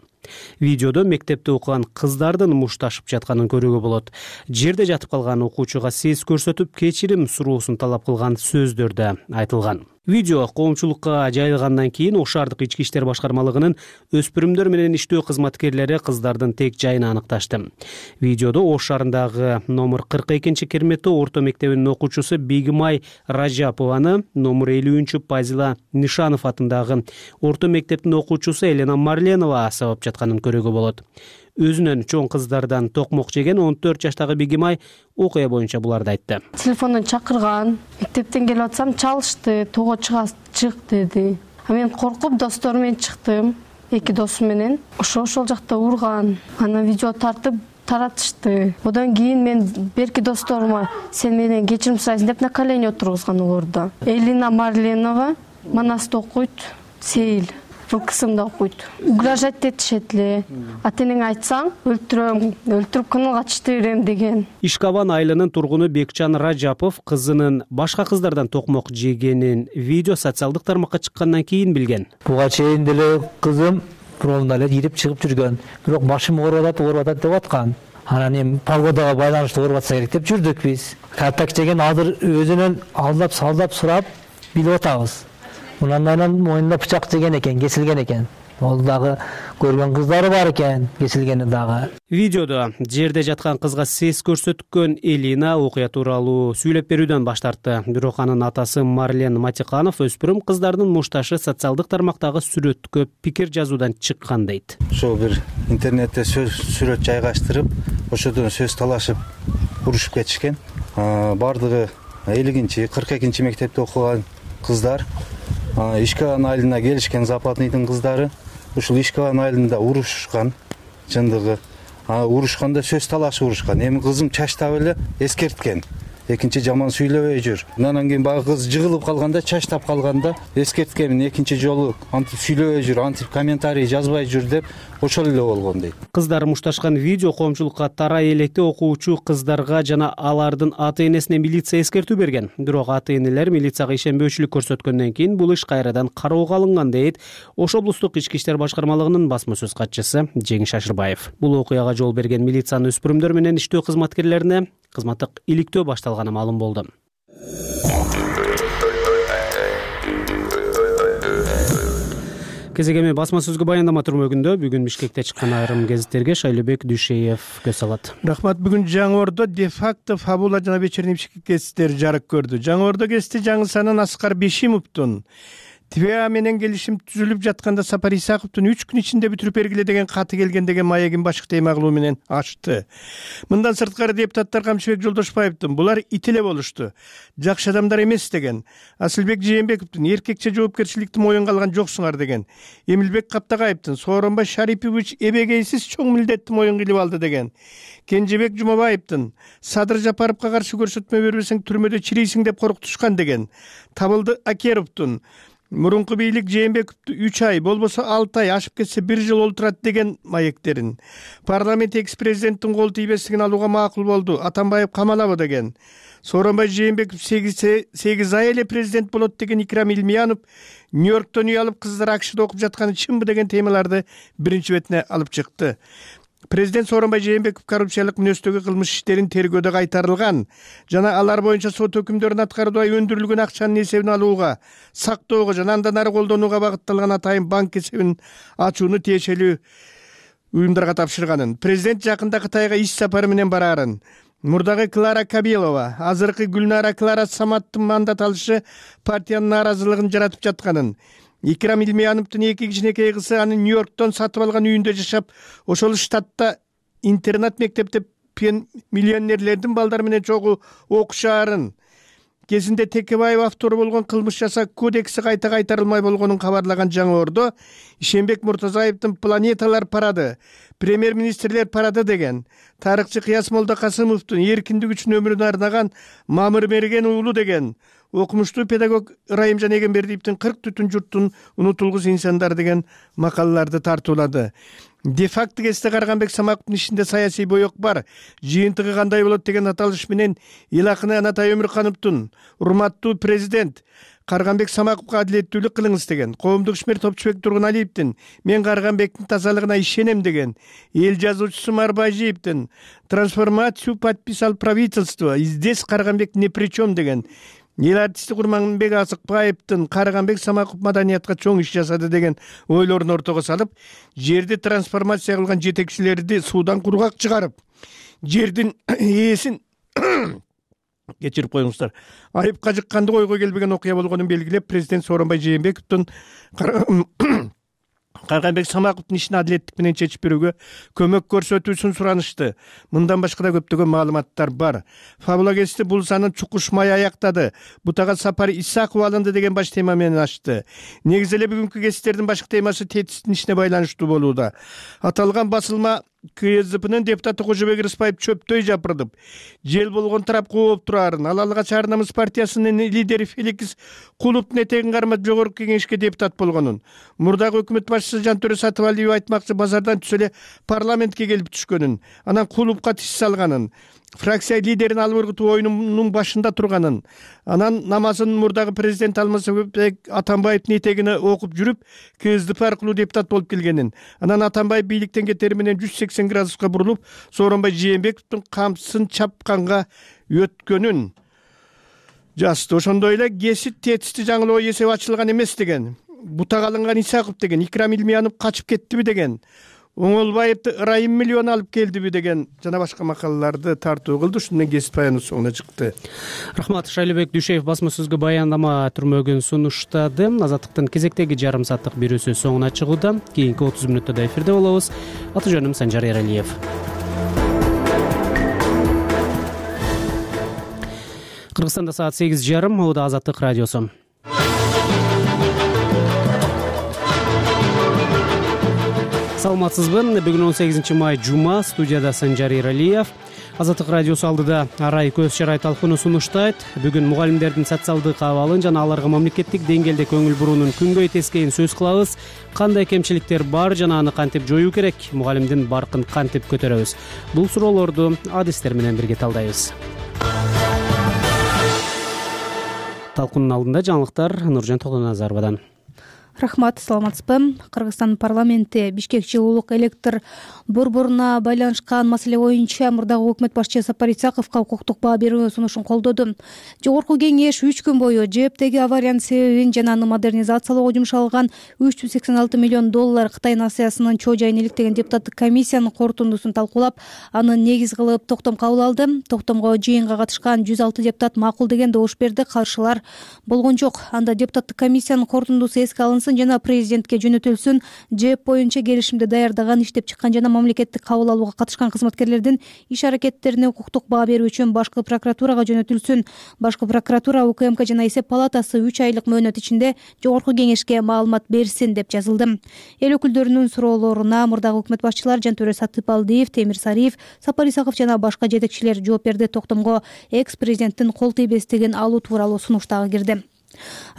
Видеодо мектепте окуган кыздардын мушташып жатканын көрүүгө болот. Жерде жатып калган окуучуга сес көрсөтүп, кечирим суроосун талап кылган сөздөр да айтылган. Видео коомчулукка жайылгандан кийин Ош шаардык ички иштер башкармалыгынын өспүрүмдөр менен иштөө кызматкерлери кыздардын тек жайын аныкташты. Видеодо Ош шаарындагы номер 42 Керметтөө орто мектебинин окуучусу Бегимай Ражапованы, номер 50 Пазила Нишанов атындагы орто мектептин окуучусу Елена Марленова сабап жатканын көрүүгө болот. Өзүнөн чоң кыздардан токмок жеген 14 жаштагы Бегимай окуя боюнча буларды айтты. Телефондон чакырган, мектептен келип атсам чалышты, тоо чык деди. Мен коркуп досторум менен чыктым, 2 досум менен. Ошол жакта урган, ана видео тартып таратышты. Одан кийин мен берки досторума сен менен кечирим сурайсың деп на колени отургузган олорду. Елена Марленова Манаста окуйт, Сейил. Бул кысымда окуйт. Угрожать этишет эле. Атенең айтсаң, өлтүрүп каналга чыгып берем деген. Ишкаван айылынын тургуну Бекчан Ражапов кызынын башка кыздардан токмок жегенин видео социалдык тармакка чыккандан кийин билген. Буга чейин деле кызым промда эле ирип чыгып жүргөн. Бирок башым ооруп атат деп аткан. Анан эми погодага байланыштуу ооруп атса керек деп жүрдүк биз. Картак деген азыр өзүнөн алдап салдап сурап билип атабыз. Мындан мойнунда бычак жеген экен, кесилген экен. Ол дагы көргөн кыздары бар экен, кесилгени дагы. Видеодо жерде жаткан кызга сес көрсөткөн Элина окуя тууралуу сүйлөп берүүдөн баш тартты. Бирок анын атасы Марлен Матиканов өспүрүм кыздардын мушташы социалдык тармактагы сүрөткө пикир жазуудан чыккан дейт. Ошо бир интернетте сүрөт жайгаштырып, ошодон сөз талашып урушуп кетишкен. Бардыгы 50-42 мектепте окуган кыздар, Ишкалан айылына келишкен Западныйдын кыздары. Ушул Ишкалан айылында урушушкан, чындыгы. Урушканда сөз талашып урушкан. Эми кызым чачтап эле эскерткен. Экинчи жаман сүйлөбөй жүр. Андан кийин баягы кыз жыгылып калганда, чачтап калганда эскерткенмин. Экинчи жолу антип сүйлөбөй жүр, антип комментарий жазбай жүр деп ошол эле болгон дейт. Кыздар мушташкан видео коомчулукка тарай электе окуучу кыздарга жана алардын ата-энесине милиция эскертүү берген. Бирок ата-энелер милицияга ишенбөөчүлүк көрсөткөндөн кийин бул иш кайрадан кароого алынган дейт Ош облустук ички иштер башкармалыгынын басма сөз катчысы Жеңиш Ашырбаев. Бул окуяга жол берген милициянын өспүрүмдөр менен иштөө кызматкерлерине кызматтык иликтөө башталганы маалым болду. Кезегеми басма сөзгө баяндама түрмөгүндө бүгүн Бишкекте чыккан айрым гезиттерге Шайлообек Дүйшеев көз салат. Рахмат. Бүгүн Жаңы Ордо де-факто фабула жана вечерний Бишкек гезиттери жарык көрдү. Жаңы Ордо гезити жаңы санын Аскар Бешимовдун ТВА менен келишим түзүлүп жатканда Сапар Исаковдун 3 күн ичинде бүтүрүп бергиле деген каты келген деген маегин башкы тема кылуу менен ачты. Мындан сырткары депутаттар Камчыбек Жолдошбаевдин булар ит эле болушту, жакшы адамдар эмес деген, Асылбек Жээнбековдун эркекче жоопкерчиликти моюнга алган жоксуңар деген, Эмилбек Каптагаевдин Сооронбай Шарипович эбегейсиз чоң милдетти моюнга илип алды деген, Кенжебек Жумабаевдин Садыр Жапаровго каршы көрсөтмө бербесең түрмөдө чирийсиң деп коркутушкан деген, Табылды Акеровдун мурунку бийлик Жээнбековду 3 ай, болбосо 6 ай, ашып кетсе 1 жыл олтурат деген маектерин, парламент экс-президенттин кол тийбестигин алууга макул болду, Атамбаев камалабы деген, Сооронбай Жээнбеков 8 ай эле президент болот деген Икрам Илмиянов Нью-Йорктон үй алып кыздар АКШда окуп жатканы чынбы деген темаларды биринчи бетине алып чыкты. Президент Сооронбай Жээнбеков коррупциялык мүнөздөгү кылмыш иштерин тергөөдө кайтарылган жана алар боюнча сот өкүмдөрүн аткарууда өндүрүлгөн акчанын эсебин алууга, сактоого жана андан ары колдонууга багытталган атайын банк эсебин ачууну тиешелүү уюмдарга тапшырганын, президент жакында Кытайга иш сапары менен бараарын, мурдагы Клара Кабелова, азыркы Гүлнара Клара Саматтын мандат алышы партиянын нааразылыгын жаратып жатканын, Икрам Илмияновдун 2 кичинекей кызы аны Нью-Йорктон сатып алган үйүндө жашап, ошол штатта интернат мектепте миллионерлердин балдары менен чогуу окушаарын, кезинде Текебаев автору болгон кылмыш жасоо кодекси кайта кайтарылмай болгонун кабарлаган Жаңы Ордо, Ишенбек Муртазаевдин планеталар парады, премьер-министрлер парады деген, тарыхчы Кыяс Молдокасымовдун эркиндик үчүн өмүрүн арнаган Мамыр Мерген уулу деген, окумуштуу педагог Райымжан Эгембердиевдин 40 түтүн журттун унутулгус инсандар деген макалаларды тартуулады. Де-факто гезите Карганбек Самаковдун ишинде саясий боек бар, жыйынтыгы кандай болот деген аталыш менен эл акыны Анатай Өмүркановдун урматтуу президент Карганбек Самаковго адилеттүүлүк кылыңыз деген, коомдук ишмер Топчубек Тургуналиевдин мен Карганбектин тазалыгына ишенем деген, эл жазуучусу Марбажиевдин трансформацию подписал правительство, здесь Карганбек не при чем деген, эл артисти Курманбек Асыкбаевдин Карганбек Самаков маданиятка чоң иш жасады деген ойлорун ортого салып, жерди трансформация кылган жетекчилерди суудан кургак чыгарып, жердин ээсин кечирип коюңуздар, айыпка жыкканды ойго келбеген окуя болгонун белгилеп, президент Сооронбай Жээнбековдун Карганбек Самаковдун ишин адилеттик менен чечип берүүгө көмөк көрсөтүүсүн суранышты. Мындан башка да көптөгөн маалыматтар бар. Фабула гезити бул санын чукушмай аяктады. Бутага Сапар Исаков алынды деген баш тема менен ачты. Негизи эле бүгүнкү гезиттердин башкы темасы тетистин ишине байланыштуу болууда. Аталган басылма КСДПнын депутаты Кожобек Рыспаев чөптөй жапырдып, жел болгон тарап кооп турарын, ал алгач Ар Намыс партиясынын лидери Феликс Кулуптун этегин кармап жогорку кеңешке депутат болгонун, мурдагы өкмөт башчысы Жантөрө Сатыбалиев айтмакчы базардан түшө эле парламентке келип түшкөнүн, анан Кулупка тиш салганын, фракция лидерин албыргытуу оюнунун башында турганын, анан намазын мурдагы президент Алмазбек Атамбаевдин этегине окуп жүрүп, КСДП аркылуу депутат болуп келгенин, анан Атамбаев бийликтен кетери менен 180 градуска бурулуп, Сооронбай Жээнбековдун камчысын чапканга өткөнүн жазды. Ошондой эле гезит тетисти жаңылоо эсеби ачылган эмес деген. бутак алынган Исаков деген, Икрам Илмиянов качып кеттиби деген, Оңолбаевди ырайым миллион алып келдиби деген жана башка макалаларды тартуу кылды. Ушундан менен кесип баяны соңуна чыкты. Рахмат. Шайлебек Дүйшеев басма сөзгө баяндама түрмөгүн сунуштады. Азаттыктын кезектеги жарым сааттык берүүсү соңуна чыгууда. Кийинки 30 мүнөттө эфирде болобуз. Аты жөнүм Санжар Эралиев. Кыргызстанда саат 8:30. Моуда Азаттык радиосу. Саламатсызбы? Бүгүн 18 май жума, студияда Санжар Эралиев. Азаттык радиосу алдыда арай көз чарай талкууну сунуштайт. Бүгүн мугалимдердин социалдык абалын жана аларга мамлекеттик деңгээлде көңүл буруунун күнгөй тескейин сөз кылабыз. Кандай кемчиликтер бар жана аны кантип жоюу керек? Мугалимдин баркын кантип көтөрөбүз? Бул суроолорду адистер менен бирге талдайбыз. Талкуунун алдында жаңылыктар Нуржан Токтоназаровадан. Рахмат, саламатсызбы? Кыргызстан парламенти Бишкек жылуулук электр борборуна байланышкан маселе боюнча мурдагы өкмөт башчы Сапар Исаковго укуктук баа берүү сунушун колдоду. Жогорку кеңеш 3 күн бою ЖЭБтеги авариянын себебин жана аны модернизациялоого жумшалган 386 миллион доллар Кытай насыясынын чоо жайын иликтеген депутаттык комиссиянын корутундусун талкуулап, аны негиз кылып токтом кабыл алды. Токтомго жыйынга катышкан 106 депутат макул деген добуш берди, каршылар болгон жок. Анда депутаттык комиссиянын корутундусу эске алынсын жана президентке жөнөтүлсүн. ЖЭБ боюнча келишимди даярдаган, иштеп чыккан жана мамлекеттик кабыл алууга катышкан кызматкерлердин иш аракеттерине укуктук баа берүү үчүн башкы прокуратурага жөнөтүлсүн. Башкы прокуратура, УКМК жана эсеп палатасы 3 айлык мөөнөт ичинде жогорку кеңешке маалымат берсин деп жазылды. Эл өкүлдөрүнүн суроолоруна мурдагы өкмөт башчылар Жантөрө Сатыпалдиев, Темир Сариев, Сапар Исаков жана башка жетекчилер жооп берди. Токтомго экс-президенттин кол тийбестигин алуу тууралуу сунуш дагы кирди.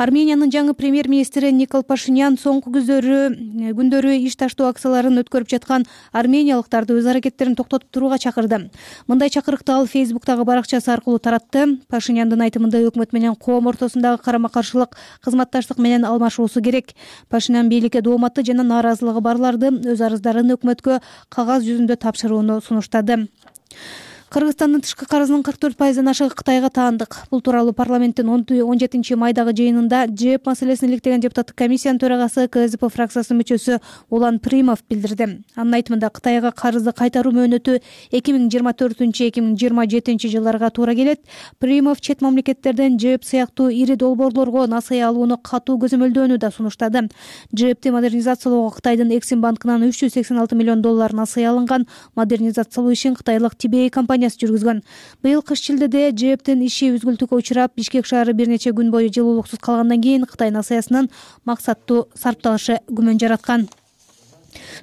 Армениянын жаңы премьер-министри Никол Пашинян соңку күндөрү иш таштоо акцияларын өткөрүп жаткан армениялыктарды өз аракеттерин токтотуп турууга чакырды. Мындай чакырыкты ал Фейсбуктагы баракчасы аркылуу таратты. Пашиняндын айтымында өкмөт менен коом ортосундагы карама-каршылык кызматташтык менен алмашуусу керек. Пашинян бийликке дооматтуу жана нааразылыгы барларды өз арыздарын өкмөткө кагаз жүзүндө тапшырууну сунуштады. Кыргызстандын тышкы карызынын 44%-дан ашыгы Кытайга таандык. Бул тууралуу парламенттин 17 майдагы жыйынында ЖЭБ маселесин иликтеген депутаттык комиссиянын төрагасы КСДП фракциясынын мүчөсү Улан Примов билдирди. Анын айтымында Кытайга карызды кайтаруу мөөнөтү 2024-2027 жылдарга туура келет. Примов чет мамлекеттерден ЖЭБ сыяктуу ири долбоорлорго насыя алууну катуу көзөмөлдөөнү да сунуштады. ЖЭБти модернизациялоого Кытайдын Эксим банкынан 386 миллион доллар насыя алынган. Модернизациялоо ишин кытайлык Тибей компаниясы жүргүзгөн. Быйыл кыш шилдеде ЖЭБтин иши үзгүлтүккө учурап, Бишкек шаары бир нече күн бою жылуулуксуз калгандан кийин Кытай насыясынын максаттуу сарпталышы күмөн жараткан.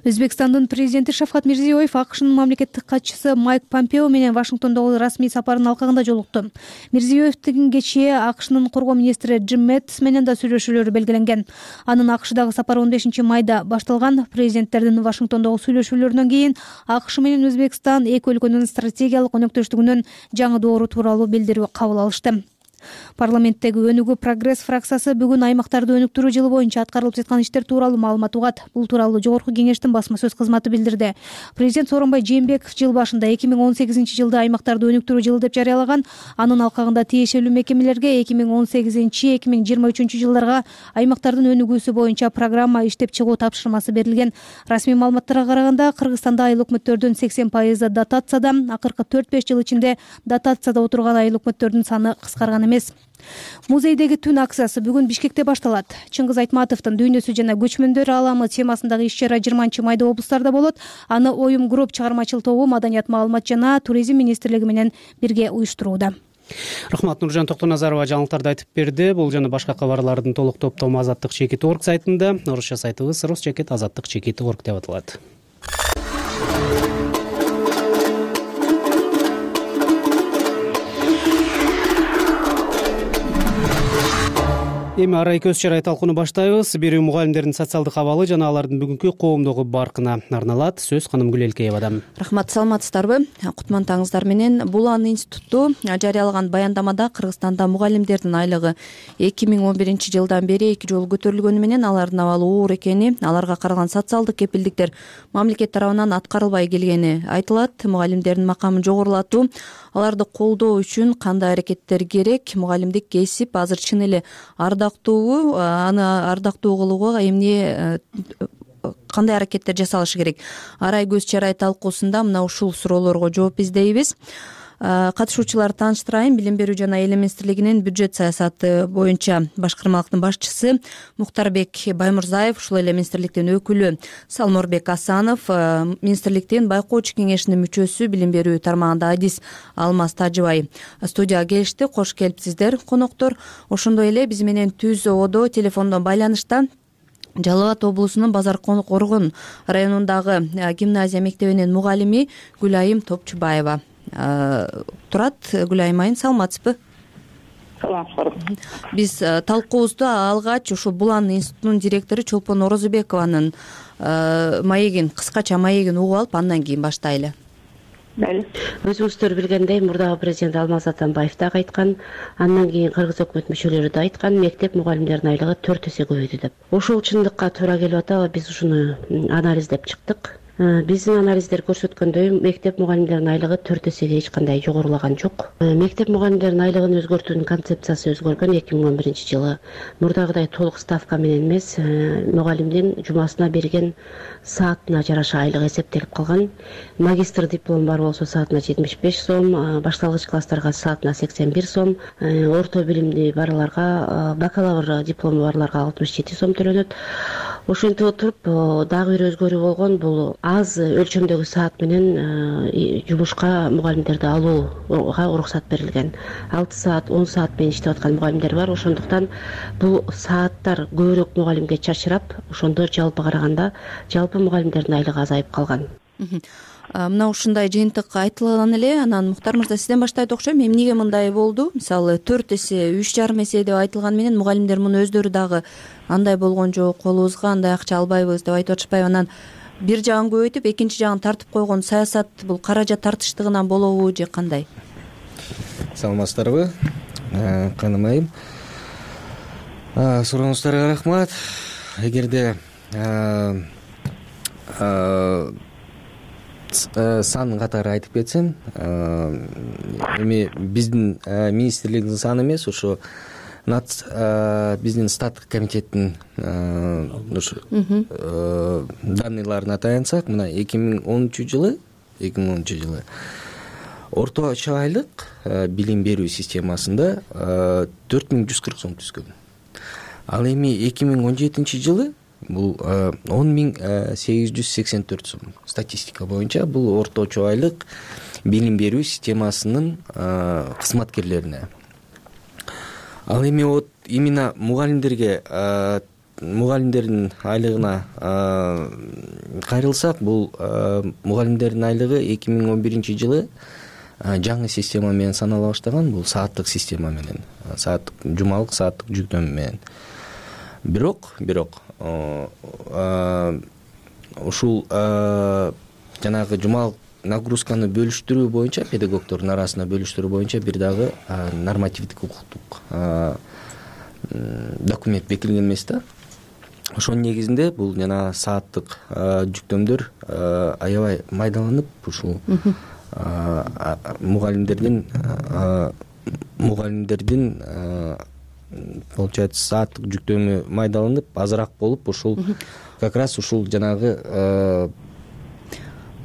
Өзбекстандын президенти Шавкат Мирзиёев АКШнын мамлекеттик катчысы Майк Помпео менен Вашингтондогу расмий сапарынын алкагында жолукту. Мирзиёевдин кечээ АКШнын коргоо министри Джим Мэттис менен да сүйлөшүүлөрү белгиленген. Анын АКШдагы сапары 15 майда башталган. Президенттердин Вашингтондогу сүйлөшүүлөрүнөн кийин АКШ менен Өзбекстан эки өлкөнүн стратегиялык өнөктөштүгүнүн жаңы доору тууралуу билдирүү кабыл алышты. Парламенттеги Өнүгүү Прогресс фракциясы бүгүн аймактарды өнүктүрүү жылы боюнча аткарылып жаткан иштер тууралуу маалымат угат. Бул тууралуу жогорку кеңештин басма сөз кызматы билдирди. Президент Сооронбай Жээнбеков жыл башында 2018 жылды аймактарды өнүктүрүү жылы деп жарыялаган. Анын алкагында тиешелүү мекемелерге 2018-2023 жылдарга аймактардын өнүгүүсү боюнча программа иштеп чыгуу тапшырмасы берилген. Расмий маалыматтарга караганда Кыргызстанда айыл өкмөттөрдүн 80% дотацияда, акыркы 4-5 жыл ичинде дотацияда отурган айыл өкмөттөрдүн саны кыскарган эмес. Музейдеги түн акциясы бүгүн Бишкекте башталат. Чыңгыз Айтматовдун дүйнөсү жана көчмөндөр ааламы темасындагы иш-чара 20 майда облустарда болот. Аны Оюм Групп чыгармачыл тобу Маданият, маалымат жана туризм министрлиги менен бирге уюштурууда. Рахмат. Нуржан Токтоназарова жаңылыктарды айтып берди. Бул жана башка кабарлардын толук топтому Азаттык.org сайтында, орусча сайтыбыз rus.azаттык.org деп аталат. Эми арай көз чарай талкууну баштайбыз. Берүү мугалимдердин социалдык абалы жана алардын бүгүнкү коомдогу баркына арналат. Сөз Ханым Гүлелкеевадан. Рахмат, саламатсыздарбы? Кутмандтаңыздар менен. Булан институту жарыялаган баяндамада Кыргызстанда мугалимдердин айлыгы 2011 жылдан бери 2 жолу көтөрүлгөнү менен алардын абалы оор экени, аларга каралган социалдык кепилдиктер мамлекет тарабынан аткарылбай келгени айтылат. Мугалимдердин макамын жогорулатуу, аларды колдоо үчүн кандай аракеттер керек? Мугалимдик кесип азыр чын эле ардагуу ардактуубу, аны ардактуу кылууга эмне кандай аракеттер жасалышы керек? Арай көз чарай талкуусунда мына ушул суроолорго жооп издейбиз. Катышуучуларды тааныштырайын. Билим берүү жана эл министрлигинин бюджет саясаты боюнча башкармалыктын башчысы Мухтарбек Баймурзаев, ушул эле министрликтин өкүлү Салморбек Асанов, министрликтин байкоочу кеңешинин мүчөсү, билим берүү тармагында адис Алмаз Тажыбай студияга келишти. Кош келипсиздер коноктор. Ошондой эле биз менен Түз ободо телефондон байланышта Жалал Абад облусунун Базар Коргон районундагы гимназия мектебинин мугалими Гүлайым Топчубаева турат. Гүлайым айым, саламатсызбы? Саламатсызбы. Биз талкуубузду алгач ушул Булан институтунун директору Чолпон Орозубекованын маегин, кыскача маегин угуп алып, андан кийин баштайлы. Өзүңүздөр билгендей, мурдагы президент Алмаз Атамбаев дагы айткан, андан кийин кыргыз өкмөт мүчөлөрү да айткан, мектеп мугалимдеринин айлыгы 4 эсе көбөйдү деп. Ошол чындыкка туура келип атабы? Биз ушуну анализдеп чыктык. Биздин анализдер көрсөткөндөй, мектеп мугалимдеринин айлыгы 4 эсеге эч кандай жогорулаган жок. Мектеп мугалимдеринин айлыгын өзгөртүүнүн концепциясы өзгөргөн 2011 жылы. Мурдагыдай толук ставка менен эмес, мугалимдин жумасына берген саатына жараша айлык эсептелип калган. Магистр диплому бар болсо саатына 75 сом, башталгыч класстарга саатына 81 сом, орто билимди барларга, бакалавр диплому барларга 67 сом төлөнөт. Ошентип отуруп, дагы бир өзгөрүү болгон, бул аз өлчөмдөгү саат менен жумушка мугалимдерди алууга уруксат берилген. 6 саат, 10 саат менен иштеп аткан мугалимдер бар. Ошондуктан бул сааттар көбүрөөк мугалимге чачырап, ошондо жалпы караганда жалпы мугалимдердин айлыгы азайып калган. Мына ушундай жыйынтык айтылган эле. Анан Мухтар мырза, сизден баштайт окшойм. Эмнеге мындай болду? Мисалы 4 эсе, 3,5 эсе деп айтылган менен мугалимдер муну өздөрү дагы андай болгон жок, колубузга андай акча албайбыз деп айтып атышпайбы? Анан бир жагын көбөйтүп, экинчи жагын тартып койгон саясат бул каражат тартыштыгынан болобу же кандай? Саламатсыздарбы? Каным айым. Сурооңуздарга рахмат. Эгерде сан катары айтып кетсем, эми биздин министрлигдин саны эмес, ошо биздин статтык комитеттин данныйларына таянсак, мына 2010 жылы орточо айлык билим берүү системасында 4140 сом түзгөн. Ал эми 2017 жылы бул 10884 сом. Статистика боюнча бул орточо айлык билим берүү системасынын кызматкерлерине. Ал эми именно мугалимдердин айлыгына кайрылсак, бул мугалимдердин айлыгы 2011 жылы жаңы система менен санала баштаган, бул сааттык система менен, жумалык сааттык жүктөмө менен. Бирок ушул жанагы жумалык нагрузканы бөлүштүрүү боюнча, педагогдордун арасында бөлүштүрүү боюнча бир дагы нормативдик укуктук документ бекитилген эмес да. Ошонун негизинде бул жана сааттык жүктөмдөр аябай майдаланып, ушул мугалимдердин получается сааттык жүктөмү майдаланып, азыраак болуп, ушул как раз ушул жанагы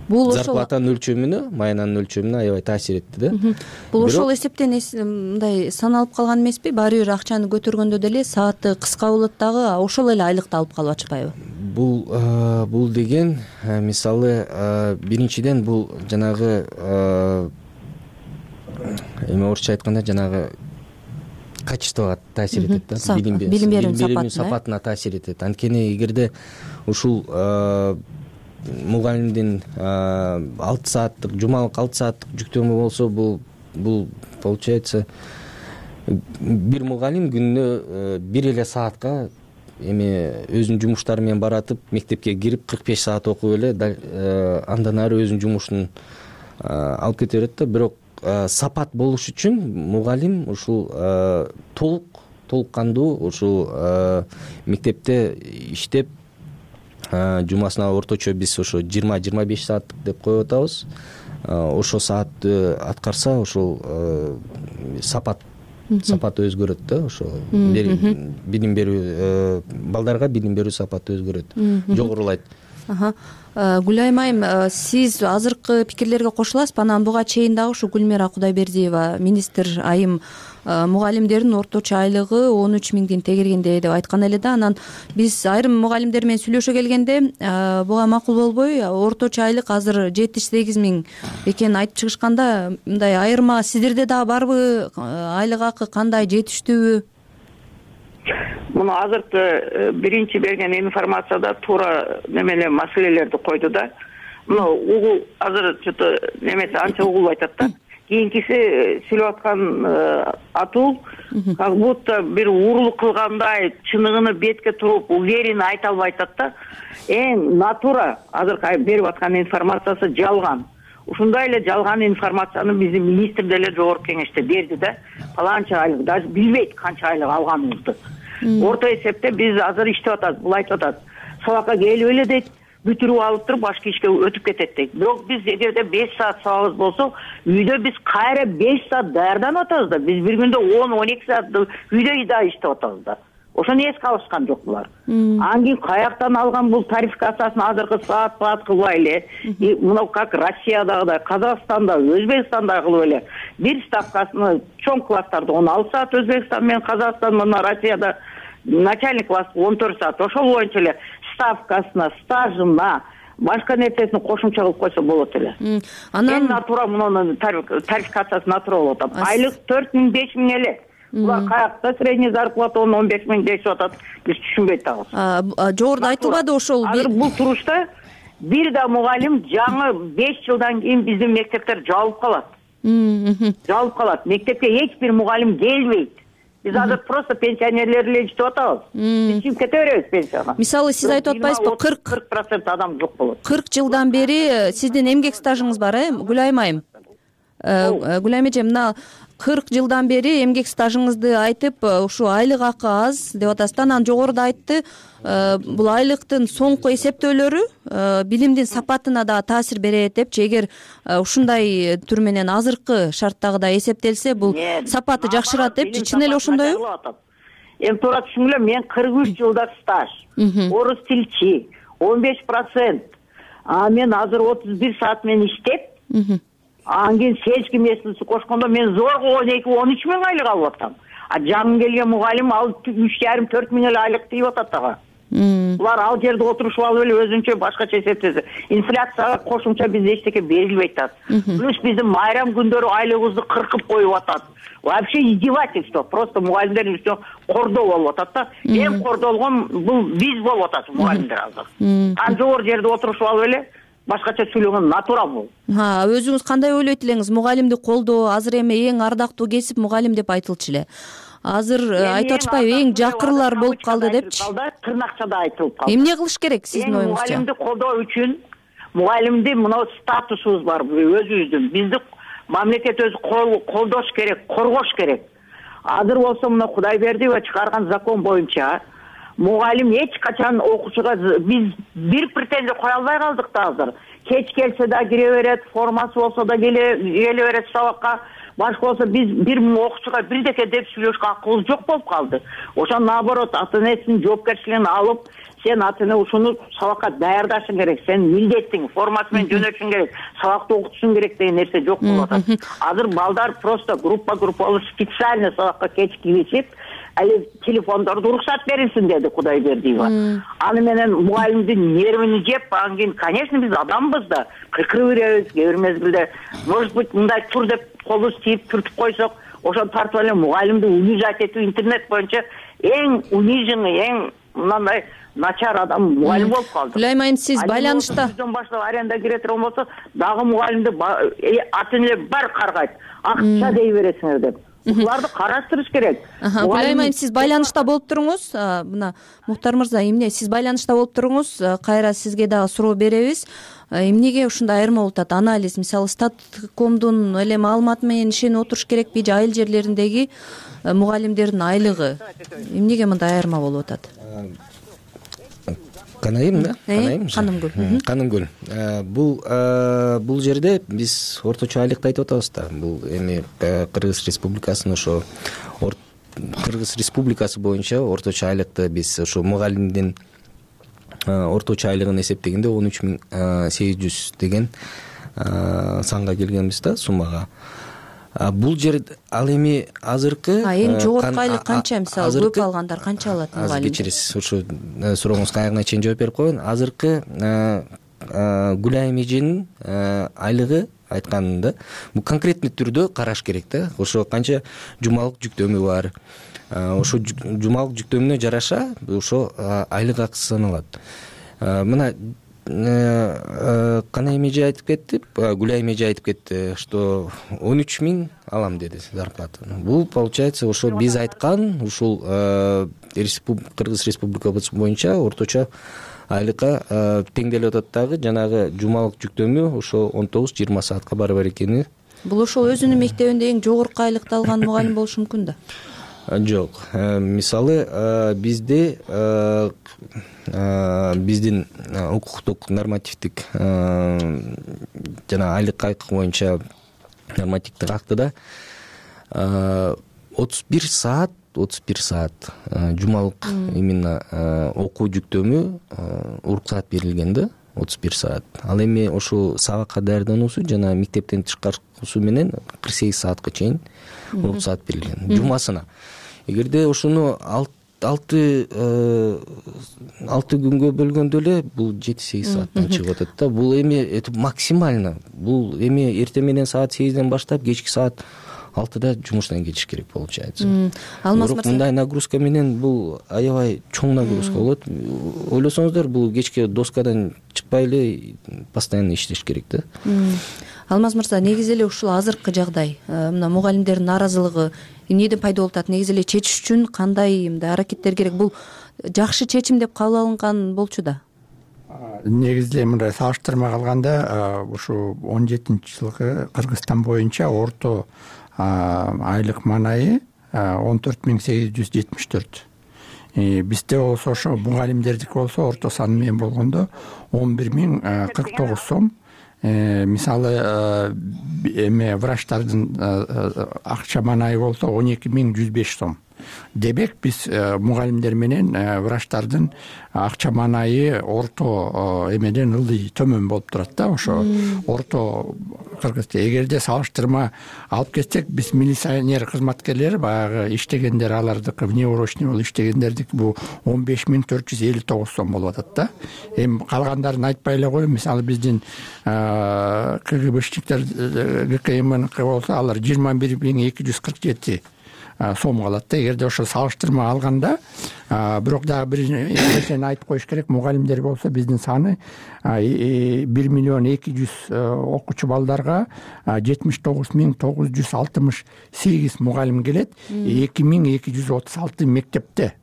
зарплатанын өлчөмүнө, маянанын өлчөмүнө аябай таасир этти да. Бул ошол эсептен мындай саналып калган эмеспи? Баары бир акчаны көтөргөндө деле сааты кыска болот дагы, ошол эле айлыкты алып калып атышпайбы? Бул деген мисалы биринчиден бул жанагы эми орусча айтканда жанагы качествого таасир этет да, билим берүүнүн сапатына таасир этет. Анткени эгерде ушул мугалимдин 6 сааттык жумалык 6 сааттык жүктөмү болсо, бул получается бир мугалим күнүнө бир эле саатка эми өзүнүн жумуштары менен баратып, мектепке кирип 45 саат окуп эле андан ары өзүнүн жумушун алып кете берет да. Бирок сапат болуш үчүн мугалим ушул толук кандуу ушул мектепте иштеп, жумасына орточо биз ошо 20-25 сааттык деп коюп атабыз. Ошо саатты аткарса, ошол сапат сапаты өзгөрөт да, ошо билим берүү, балдарга билим берүү сапаты өзгөрөт, жогорулайт. Гүлайым айым, сиз азыркы пикирлерге кошуласызбы? Анан буга чейин дагы ушу Гүлмира Кудайбердиева министр айым мугалимдердин орточо айлыгы 13 миңдин тегергенде деп айткан эле да. Анан биз айрым мугалимдер менен сүйлөшө келгенде буга макул болбой, орточо айлык азыр 78 миң экенин айтып чыгышканда, мындай айырма сиздерде дагы барбы? Айлык акы кандай, жетиштүүбү? Муну азыркы биринчи берген информацияда туура немеле маселелерди койду да. Муну азыр что-то немеси анча угулбай атат да. Кийинкиси сүйлөп аткан атуу как будто бир уурулук кылгандай чыныгыны бетке туруп уверенно айта албай атат да. Эң натура азыркы берип аткан информациясы жалган. Ушундай эле жалган информацияны биздин министр деле жогорку кеңеште берди да. Паланча айлык, даже билбейт канча айлык алганыбызды. Орто эсепте биз азыр иштеп атабыз, бул айтып атат. Сабакка келип эле дейт, бүтүрүп алып туруп башка ишке өтүп кетет дейт. Бирок биз эгерде 5 саат сабагыбыз болсо, үйдө биз кайра 5 саат даярданып атабыз да. Биз бир күндө 10-12 саат үйдө да иштеп атабыз да. Ошону эске алышкан жок булар. Анан кийин каяктан алган бул тарификациясын азыркы саат кылбай эле, мына как Россиядагыдай, Казакстанда, Өзбекстанда кылып эле бир ставкасыны чоң класстарда 16 саат, Өзбекстан менен Казакстан, мына Россияда начальник класс 14 саат. Ошол боюнча эле ставкасына, стажына, башка нерсесин кошумча кылып койсо болот эле. Анан натура мунун тарификациясы натура болуп атат. Айлык 4 миң, 5 миң эле. Булар каякта средний зарплата 15 миң дешип атат. Биз түшүнбөй атабыз. Жогоруда айтылбады ошол. Азыр бул турушта бир да мугалим жаңы 5 жылдан кийин биздин мектептер жабылып калат. Жабылып калат. Мектепке эч бир мугалим келбейт. Биз азыр просто пенсионерлер эле иштеп атабыз. Биз чыгып кете беребиз пенсияга. Мисалы сиз айтып атпайсызбы, 40% адам жок болот. 40 жылдан бери сиздин эмгек стажыңыз бар, Гүлайым айым? Гүлайым эже, мына 40 жылдан бери эмгек стажыңызды айтып, ушу айлык акы аз деп атасыз. Анан жогоруда айтты, бул айлыктын соңку эсептөөлөрү билимдин сапатына да таасир берет депчи. Эгер ушундай түр менен азыркы шарттагыдай эсептелсе, бул сапаты жакшырат депчи. Чын эле ошондойбу? Эми туура түшүнгүлө, мен 43 жылдык стаж, орус тилчи, 15%. Мен азыр 31 саат менен иштеп, анан кийин сельский местности кошкондо мен зорго 12-13 миң айлык алып атам. Жаңы келген мугалим ал 3,5-4 миң эле айлык тийип атат дагы. Булар ал жерде отурушуп алып эле өзүнчө башкача эсептесе. Инфляцияга кошумча бизде эчтеке берилбейт атат. Плюс биздин майрам күндөрү айлыгыбызды кыркып коюп атат. Вообще издевательство. Просто мугалимдердин үстүнө кордоо болуп атат да. Эң кордолгон бул биз болуп атат мугалимдер азыр. Анан жогору жерде отурушуп алып эле башкача сүйлөгөн натура бул. Өзүңүз кандай ойлойт элеңиз? Мугалимди колдоо азыр эми эң ардактуу кесип мугалим деп айтылчу эле. Азыр айтып атышпайбы, эң жакырлар болуп калды депчи. Тырнакчада айтылып калды. Эмне кылыш керек сиздин оюңузча? Мугалимди колдоо үчүн мугалимди мына статусубуз бар өзүбүздүн. Бизди мамлекет өзү колдош керек, коргош керек. Азыр болсо мына Кудайбердиева чыгарган закон боюнча мугалим эч качан окуучуга биз бир претензия кое албай калдык да азыр. Кеч келсе да кире берет, формасы болсо да келе берет сабакка. Башка болсо биз бир окуучуга бирдеке деп сүйлөшкө акыбыз жок болуп калды. Ошон наоборот ата энесинин жоопкерчилигин алып, сен ата эне ушуну сабакка даярдашың керек, сен милдеттиң, формасы менен жөнөтүшүң керек, сабакты окутушуң керек деген нерсе жок болуп атат. Азыр балдар просто группа болуп специально сабакка кеч киришип, али телефондорду уруксат берилсин деди Кудайбердиева. Аны менен мугалимдин нервини жеп, анан кийин, конечно, биз адамбыз да, кыркырып беребиз, кээ бир мезгилде, может быть, мындай тур деп колубуз тийип түртүп койсок, ошону тартып эле мугалимди унижать этүү интернет боюнча эң униженный, эң мындай начар адам мугалим болуп калды. Гүлайым айым, сиз байланышта баштап аренда кире турган болсо, дагы мугалимди ата энелер баары каргайт. Акча дей бересиңер деп. Буларды караштырыш керек. Гүлайым айым, сиз байланышта болуп туруңуз. Мына Мухтар мырза, эмне сиз байланышта болуп туруңуз? Кайра сизге дагы суроо беребиз. Эмнеге ушундай айырма болуп атат? Анализ, мисалы Статкомдун эле маалыматы менен ишенип отуруш керекпи? Же айыл жерлериндеги мугалимдердин айлыгы эмнеге мындай айырма болуп атат? канайым да каным көл бул жерде биз орточо айлыкты айтып атабыз да. Бул эми Кыргыз Республикасынын ошо Кыргыз Республикасы боюнча орточо айлыкты биз ошо мугалимдин орточо айлыгын эсептегенде 13.800 деген санга келгенбиз да, суммага. Бул жер ал эми азыркы эң жогорку айлык канча, мисалы көп алгандар канча алат мугалим? Азыр кечиресиз, ошо сурооңузга аягына чейин жооп берип коеюн. Азыркы Гүлайым эженин айлыгы айтканында бул конкретный түрдө караш керек да. Ошо канча жумалык жүктөмү бар, ошо жумалык жүктөмүнө жараша ошо айлык акысы саналат. Мына Канайым эже айтып кетти, Гүлайым эже айтып кетти, что 13.000 алам деди зарплатаны. Бул получается ошо биз айткан ушул Кыргыз Республикасы боюнча орточо айлыкка теңделип атат дагы, жанагы жумалык жүктөмү ошо 19-20 саатка барабар экени. Бул ошол өзүнүн мектебинде эң жогорку айлыкты алган мугалим болушу мүмкүн да? Жок, мисалы бизде биздин укуктук нормативдик жана айлык акы боюнча нормативдик актыда 31 саат жумалык именно окуу жүктөмү уруксаат берилген да, 31 саат. Ал эми ошол сабакка даярдануусу жана мектептен тышкаркуусу менен 48 саатка чейин уруксаат берилген жумасына. Эгерде ошону 6 күнгө бөлгөндө эле бул 7-8 сааттан чыгып атат да. Бул эми максимально. Бул эми эртең менен саат 8ден баштап кечки саат 6да жумуштан кетиш керек получается. Бирок мындай нагрузка менен бул аябай чоң нагрузка болот. Ойлосоңуздар, бул кечке доскадан чыкпай эле постоянно иштеш керек да. Алмаз мырза, негизи эле ушул азыркы жагдай, мына мугалимдердин нааразылыгы эмнеден пайда болуп атат? Негизи эле чечиш үчүн кандай аракеттер керек? Бул жакшы чечим деп кабыл алынган болчу да. Негизи эле мындай салыштырмага алганда, ушу 17-жылкы Кыргызстан боюнча орто айлык маанайы 14.874. Бизде болсо ошо мугалимдердики болсо орто саны менен болгондо 11.049 сом. Мисалы эме врачтардын акча маанайы болсо 12.105 сом. Демек биз мугалимдер менен врачтардын акча маанайы орто эмеден ылдый төмөн болуп турат да. Ошо орто Кыргызда эгерде салыштырма алып кетсек, биз милиционер кызматкерлери баягы иштегендер, алардыкы внеурочный болуп иштегендердики бул 15.459 сом болуп атат да. Эми калгандарын айтпай эле коеюн. Мисалы биздин КГБшниктер ГКМники болсо алар 21.247 сом калат да. Эгерде ошо салыштырма алганда, бирок дагы бир нерсени айтып коюш керек. Мугалимдер болсо биздин саны 1.200.000 окуучу балдарга 79.968 мугалим келет, 2.236 мектепте.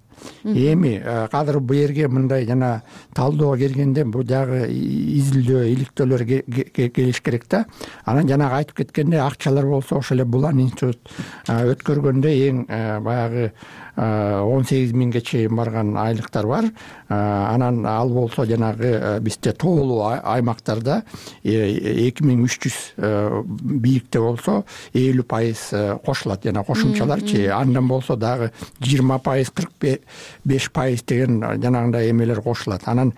Эми кадыр бу жерге мындай жана талдоого келгенде бул дагы изилдөө, иликтөөлөр келиш керек да. Анан жанагы айтып кеткенде акчалар болсо ошол эле Булан институт өткөргөндө эң баягы 18.000ге чейин барган айлыктар бар. Анан ал болсо жанагы бизде тоолуу аймактарда 2300 бийикте болсо 50% кошулат, жана кошумчаларчы. Андан болсо дагы 20%, 45% деген жанагындай эмелер кошулат. Анан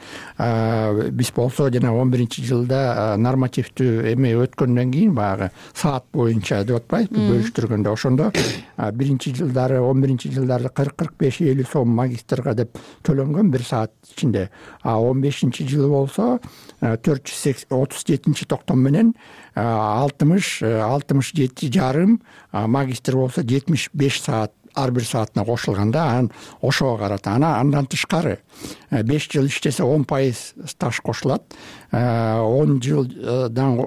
биз болсо жана 11-жылда нормативдүү эме өткөндөн кийин баягы саат боюнча деп атпайбызбы, бөлүштүргөндө ошондо 1-жылдары 11-жылдары 40-45-50 сом магистрга деп төлөнгөн бир саат ичинде. 15-жылы болсо 437 токтом менен 67,5, магистр болсо 75 саат ар бир саатына кошулганда, анан ошого карата. Андан тышкары 5 жыл иштесе 10% стаж кошулат. 10 жылдан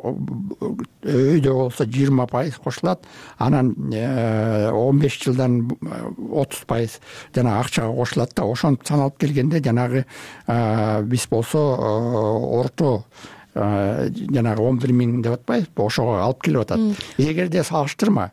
өйдө болсо 20% кошулат. Анан 15 жылдан 30% жана акчага кошулат да. Ошентип саналып келгенде жанагы биз болсо орто жанагы 11.000 деп атпайбызбы, ошого алып келип атат. Эгерде салыштырма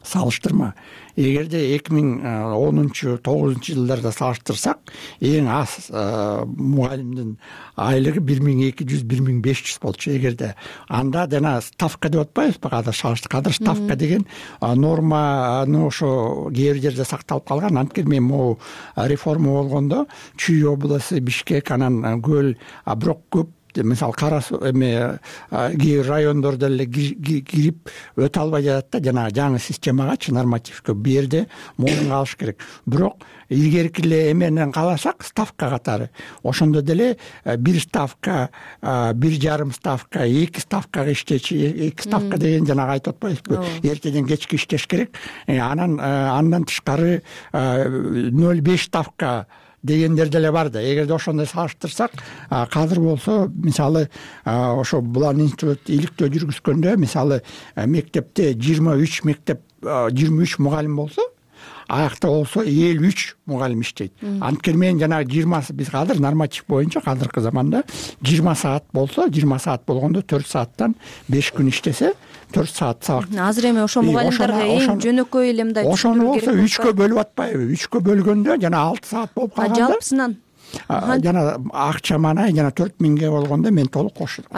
салыштырма. Эгерде 2010-9 жылдарда салыштырсак, эң аз мугалимдин айлыгы 1200-1500 болчу. Эгерде анда жана ставка деп атпайбызбы, кадыр ставка деген норманы ошо кээ бир жерде сакталып калган. Анткени мен могу реформа болгондо Чүй областы, Бишкек, анан Көл, бирок көп мисалы кээ бир райондордо эле кирип өтө албай жатат да, жана жаңы системагачы, нормативке бул жерде мойнуна алыш керек. Бирок илгерки эле эменен каласак, ставка катары ошондо деле 1 ставка, 1,5 ставка, 2 ставкага иштечи, 2 ставка деген жанагы айтып атпайбызбы, эртеден кечке иштеш керек. Андан тышкары 0,5 ставка дегендер деле бар да. Эгерде ошондой салыштырсак, казыр болсо мисалы ошо Булан институт иликтөө жүргүзгөндө мисалы мектепте 23 мугалим болсо, аякта болсо 53 мугалим иштейт. Анткени мен жанагы 20 биз азыр норматив боюнча азыркы заманда 20 саат болсо, 20 саат болгондо 4 сааттан 5 күн иштесе 4 саат сабак. Азыр эми ошо мугалимдерге эң жөнөкөй эле мындай ошону болсо 3кө бөлүп атпайбы? 3кө бөлгөндө жана 6 саат болуп калганда жалпысынан жана акча мана жана 4000ге болгондо мен толук кошулам.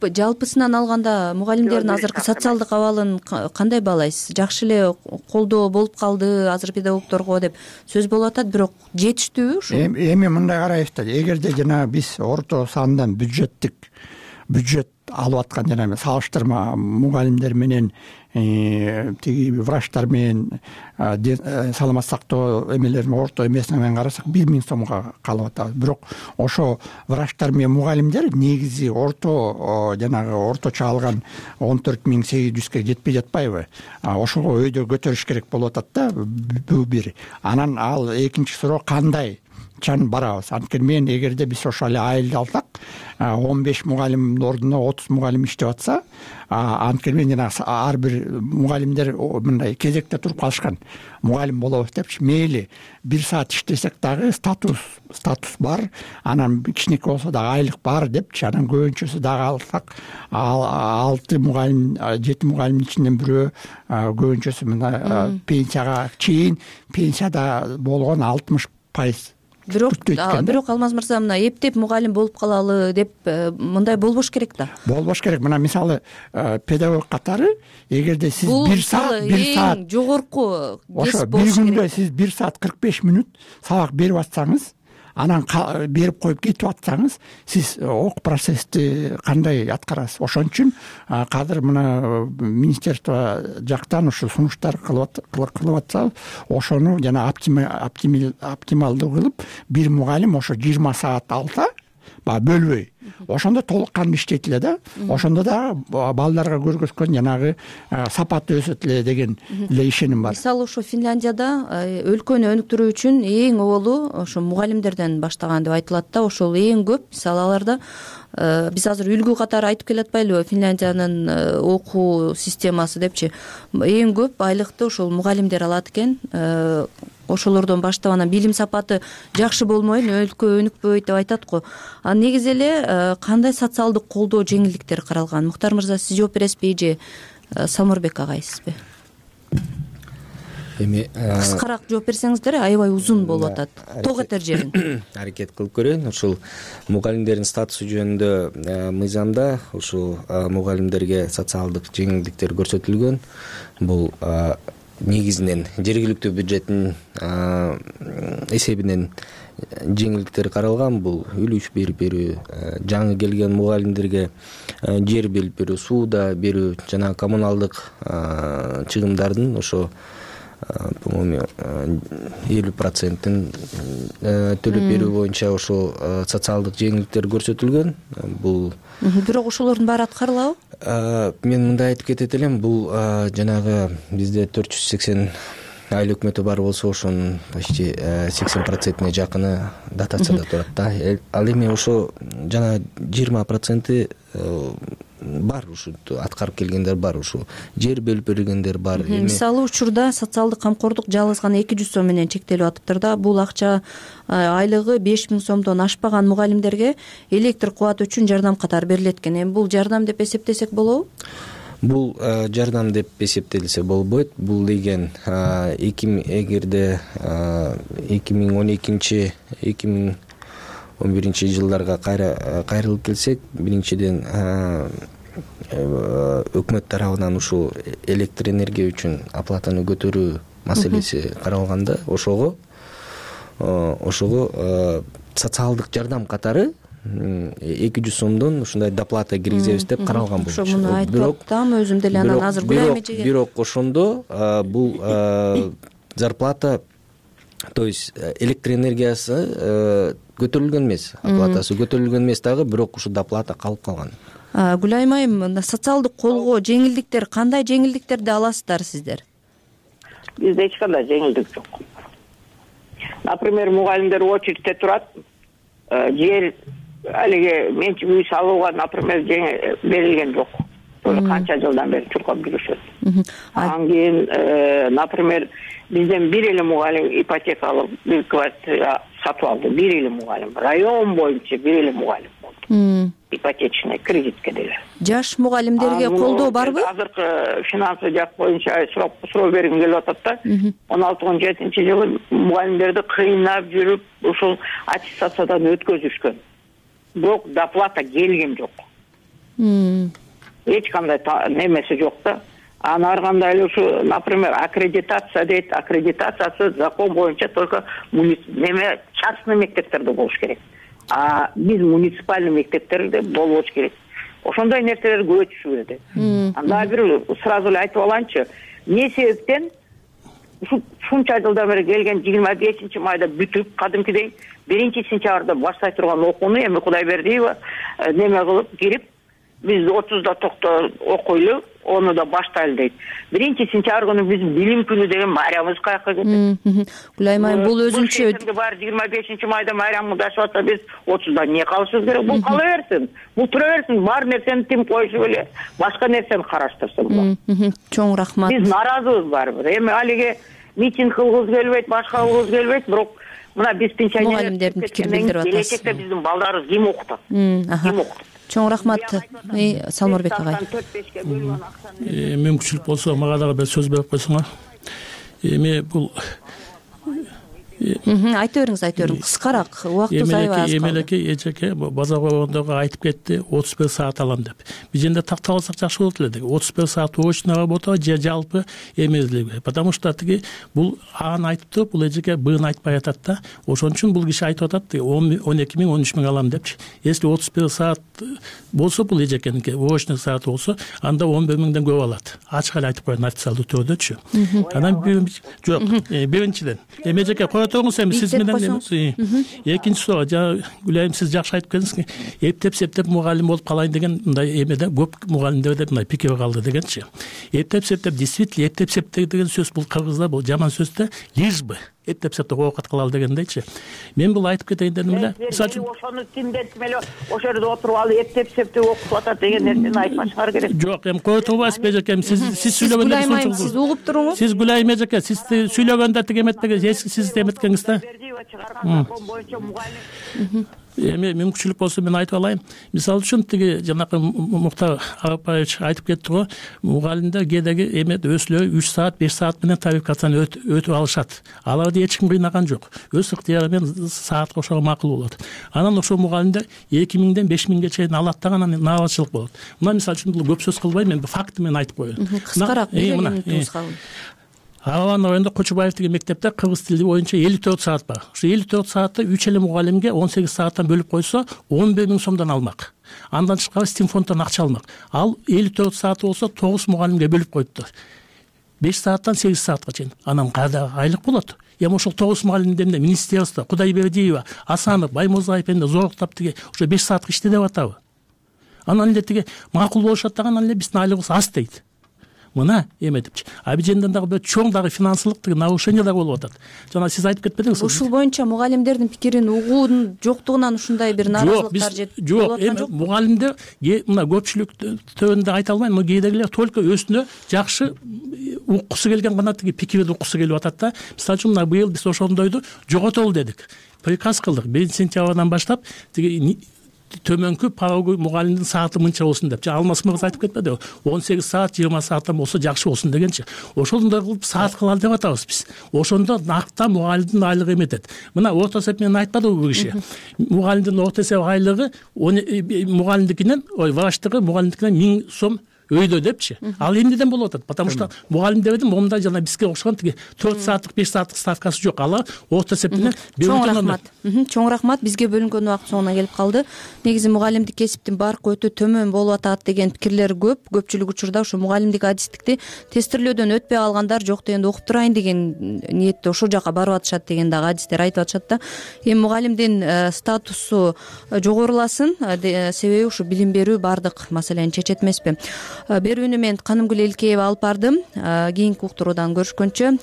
Жалпысынан алганда мугалимдердин азыркы социалдык абалын кандай баалайсыз? Жакшы эле колдоо болуп калды азыр педагогдорго деп сөз болуп атат, бирок жетиштүүбү ушу? Эми мындай карайбыз да, эгерде жана биз орто сандан бюджет алып аткан жана салыштырма мугалимдер менен тиги врачтар менен саламат сактоо эмелерин орто эмесинен карасак 1000 сомго калып атабыз. Бирок ошо врачтар менен мугалимдер негизи жанагы орточо алган 14,800ге жетпей жатпайбы? Ошого өйдө көтөрүш керек болуп атат да, бул бир. Анан ал экинчи суроо кандай чан барабыз? Анткени мен эгерде биз ошо эле айылды алсак, 15 мугалимдин ордуна 30 мугалим иштеп атса, анткени мен жана ар бир мугалимдер мындай кезекте туруп калышкан. Мугалим болобуз депчи, мейли 1 саат иштесек дагы статус бар, анан кичинекей болсо дагы айлык бар депчи, анан көбүнчөсү дагы алсак 6 мугалим, 7 мугалимдин ичинен бирөө, көбүнчөсү мына пенсияга чейин, пенсияда болгон 60%. Бирок Алмаз мырза, мына эптеп мугалим болуп калалы деп мындай болбош керек да. Болбош керек. Мына мисалы педагог катары, эгерде сиз 1 саат жогорку ошо бир күндө сиз 1 саат 45 мүнөт сабак берип атсаңыз, анан берип коюп кетип атсаңыз, сиз ок процессти кандай аткарасыз? Ошон үчүн азыр мына министерство жактан ушул сунуштар кылып атса, ошону жана оптималдуу кылып, бир мугалим ошо 20 саат алса, бөлбөй, ошондо толук кандуу иштейт эле да. Ошондо да балдарга көргөзгөн жанагы сапаты өсөт эле деген эле ишеним бар. Мисалы ошо Финляндияда өлкөнү өнүктүрүү үчүн эң оболу ошо мугалимдерден баштаган деп айтылат да. Ошол эң көп, мисалы аларда биз азыр үлгү катары айтып келатпайлыбы, Финляндиянын окуу системасы депчи, эң көп айлыкты ошол мугалимдер алат экен. Ошолордон баштап анан билим сапаты жакшы болмой өлкө өнүкпөйт деп айтат го. Негизи эле кандай социалдык колдоо жеңилдиктер каралган? Муктар мырза, сиз жооп бересизби же Самурбек агайсызбы? Эми кыскараак жооп берсеңиздер, аябай узун болуп атат. Ток этер жерин аракет кылып көрөйүн. Ушул мугалимдердин статусу жөнүндө мыйзамда ушул мугалимдерге социалдык жеңилдиктер көрсөтүлгөн. Бул негизинен жергиликтүү бюджеттин эсебинен жеңилдиктер каралган. Бул үлүш берип берүү, жаңы келген мугалимдерге жер берип берүү, сууда берүү, жана коммуналдык чыгымдардын ошо по-моему 50%-ин төлөп берүү боюнча ошол социалдык жеңилдиктер көрсөтүлгөн. Бул бирок ошолордун баары аткарылабы? Мен мындай айтып кетет элем, бул жанагы бизде 480 айыл өкмөтү бар болсо, ошонун почти 80%-не жакыны дотацияда турат да. Ал эми ошо жана 20% бар, ушу аткарып келгендер бар, ушу жер бөлүп бергендер бар. Мисалы учурда социалдык камкордук жалгыз гана 200 сом менен чектелип атыптыр да. Бул акча айлыгы 5000 сомдон ашпаган мугалимдерге электр кубаты үчүн жардам катары берилет экен. Эми бул жардам деп эсептесек болобу? Бул жардам деп эсептелсе болбойт. Бул деген эгерде 2012-2011 жылдарга кайрылып келсек, биринчиден өкмөт тарабынан ушул электр энергия үчүн оплатаны көтөрүү маселеси каралганда, ошого социалдык жардам катары 200 сомдон ушундай доплата киргизебиз деп каралган болчу. Ошо муну айтып атам, өзүм деле анан азыр Гүлайым эжеге. Бирок ошондо бул зарплата, то есть электр энергиясы көтөрүлгөн эмес, оплатасы көтөрүлгөн эмес дагы, бирок ушу доплата калып калган. Гүлайым айым, социалдык колгоо, жеңилдиктер, кандай жеңилдиктерди аласыздар сиздер? Бизде эч кандай жеңилдик жок. Например, мугалимдер очередьте турат, жер алиге менчик үй салууга, например, берилген жок. Канча жылдан бери чуркап жүрүшөт. Анан кийин, например, бизден бир эле мугалим ипотекалык бир квартира сатып алды. Бир эле мугалим, район боюнча бир эле мугалим болду. Ипотечный кредитке деле. Жаш мугалимдерге колдоо барбы? Азыркы финансы жак боюнча суроо бергим келип атат да. 16-17 жылы мугалимдерди кыйнап жүрүп, ушул аттестациядан өткөзүшкөн. Бирок доплата келген жок. Эч кандай немеси жок да. Анан ар кандай эле ушу, например, аккредитация дейт. Аккредитациясы закон боюнча только частный мектептерде болуш керек. А биз муниципальный мектептерде болбош керек. Ошондой нерселер көп түшүбүздү. Анда бир сразу эле айтып алайынчы, эмне себептен ушунча жылдан бери келген 25-майда бүтүп, кадимкидей 1-сентябрда баштай турган окууну эми Кудайбердиева неме кылып кирип, биз 30-да окуйлу, onu da баштайлы дейт. 1-сентябрь күнү биз билим күнү деген майрамыбыз каяка кетет. Гүлайым айым, бул өзүнчө бар 25-майда майрамды дашып атса, биз 30-да эмне кылышыбыз керек? Бул кала берсин. Бул тура берсин. Бар нерсени тим коюшу эле, башка нерсени караштырсын. Чоң рахмат. Биз нааразыбыз барбыр. Эми алиге митинг кылгыбыз келбейт, башка кылгыбыз келбейт, бирок мына биз мугалимдердин пикирин билдирип атасыз. Келечекте биздин балдарыбыз ким окутат? Ким окутат? Чоң рахмат, Салмурбек агай. Мүмкүнчүлүк болсо мага дагы бир сөз берип койсоңор. Эми бул айта бериңиз, кыскараак, убактыбыз аябай аз калды. Эмелеке эжеке базар койгондого айтып кетти, 31 саат алам деп. Биз жерде тактап алсак жакшы болот эле деди. 31 саат очно работа же жалпы эмезлиги. Потому что тиги бул аны айтыптыр, бул эжеке быны айтпай атат да. Ошон үчүн бул киши айтып атат, 12 миң, 13 миң алам депчи. Если 31 саат болсо, бул эжекеники очно саат болсо, анда 11 миңден көп алат. Ачык эле айтып коеюн официалдуу түрдөчү. Анан жок, биринчиден эжеке сиз менен экинчи суроо, Гүлайым, сиз жакшы айтып келдиңиз, эптеп мугалим болуп калайын деген мындай эмеде көп мугалимдерде мындай пикир калды дегенчи. Эптеп действительно эптеп деген сөз бул кыргызда бул жаман сөз да, лишь бы эптеп оокат кылалы дегендейчи. Мен бул айтып кетейин дедим эле. Мисалы үчүн ошону тимдетип эле ошол жерде отуруп алып эптеп окутуп атат деген нерсени айтпашыңар керек. Жок, эми кое турбайсызбы эжекем, сиз сүйлөгөндө сиз угуп туруңуз. Сиз Гүлайым эжеке, сиз сүйлөгөндө тиги эметпеген, сиз эметкениңиз да. Эми мүмкүнчүлүк болсо мен айтып алайын. Мисалы үчүн тиги жанакы Муктар Арапбаевич айтып кетти го, мугалимдер кээдеги эмеде өсүлөр 3 саат, 5 саат менен квалификацияны өтүп алышат. Аларды эч ким кыйнаган жок. Өз ыктыяры менен саатка ошого макул болот. Анан ошол мугалимдер 2000ден 5000ге чейин алат да, анан наабатчылык болот. Мына мисалы үчүн бул көп сөз кылбайм, мен факты менен айтып коеюн. Кыскараак, Аван районунда Кочубаев деген мектепте кыргыз тили боюнча 54 саат бар. Ошо 54 саатты 3 эле мугалимге 18 сааттан бөлүп койсо 11 миң сомдон алмак. Андан тышкары стимфонддон акча алмак. Ал 54 сааты болсо 9 мугалимге бөлүп коюптур. 5 сааттан 8 саатка чейин. Анан кайда айлык болот? Эми ошол 9 мугалимдерде министерство, Кудайбердиева, Асанов, Баймурзаев энди зоруктап тиги ошо 5 саатка иштедеп атабы? Анан эле тиги макул болушат дагы, анан эле биздин айлыгыбыз аз дейт. Мына эметипчи. Абиженден дагы бир чоң дагы финансылык нарушение дагы болуп атат. Жана сиз айтып кетпедиңизби? Ушул боюнча мугалимдердин пикирин угуунун жоктугунан ушундай бир нааразылыктар жок. Эми мугалимдер мына көпчүлүк төбөндө айта албайм, но кээдегилер только өзүнө жакшы уккусу келген гана тиги пикирди уккусу келип атат да. Мисалы үчүн мына быйыл биз ошондойду жоготолу дедик. Приказ кылдык. 1-сентябрдан баштап тиги төмөнкү порогу мугалимдин сааты мынча болсун деп Алмаз мырза айтып кетпедиби, 18 саат 20 сааттан болсо жакшы болсун дегенчи. Ошондой кылып саат кылалы деп атабыз биз. Ошондо накта мугалимдин айлыгы эметет. Мына орто эсеп менен айтпадыбы бул киши? Мугалимдин орто эсеп айлыгы мугалимдикинен, врачтыгы мугалимдикинен 1000 сом өйдө депчи. Ал эмнеден болуп атат? Потому что мугалим дебедим, момундай жана бизге окшогон тиги 4 сааттык 5 сааттык ставкасы жок. Алар орто эсеп менен чоң рахмат. Бизге бөлүнгөн убакыт соңуна келип калды. Негизи мугалимдик кесиптин баркы өтө төмөн болуп атат деген пикирлер көп. Көпчүлүк учурда ушу мугалимдик адистикти тестирлөөдөн өтпөй алгандар жок дегенде окуп турайын деген ниетте ошол жака барып атышат деген дагы адистер айтып атышат да. Эми мугалимдин статусу жогоруласын, себеби ушу билим берүү баардык маселени чечет эмеспи. Берүүнү мен Канымгүл Элкеева алып бардым. Кийинки уктуруудан көрүшкөнчө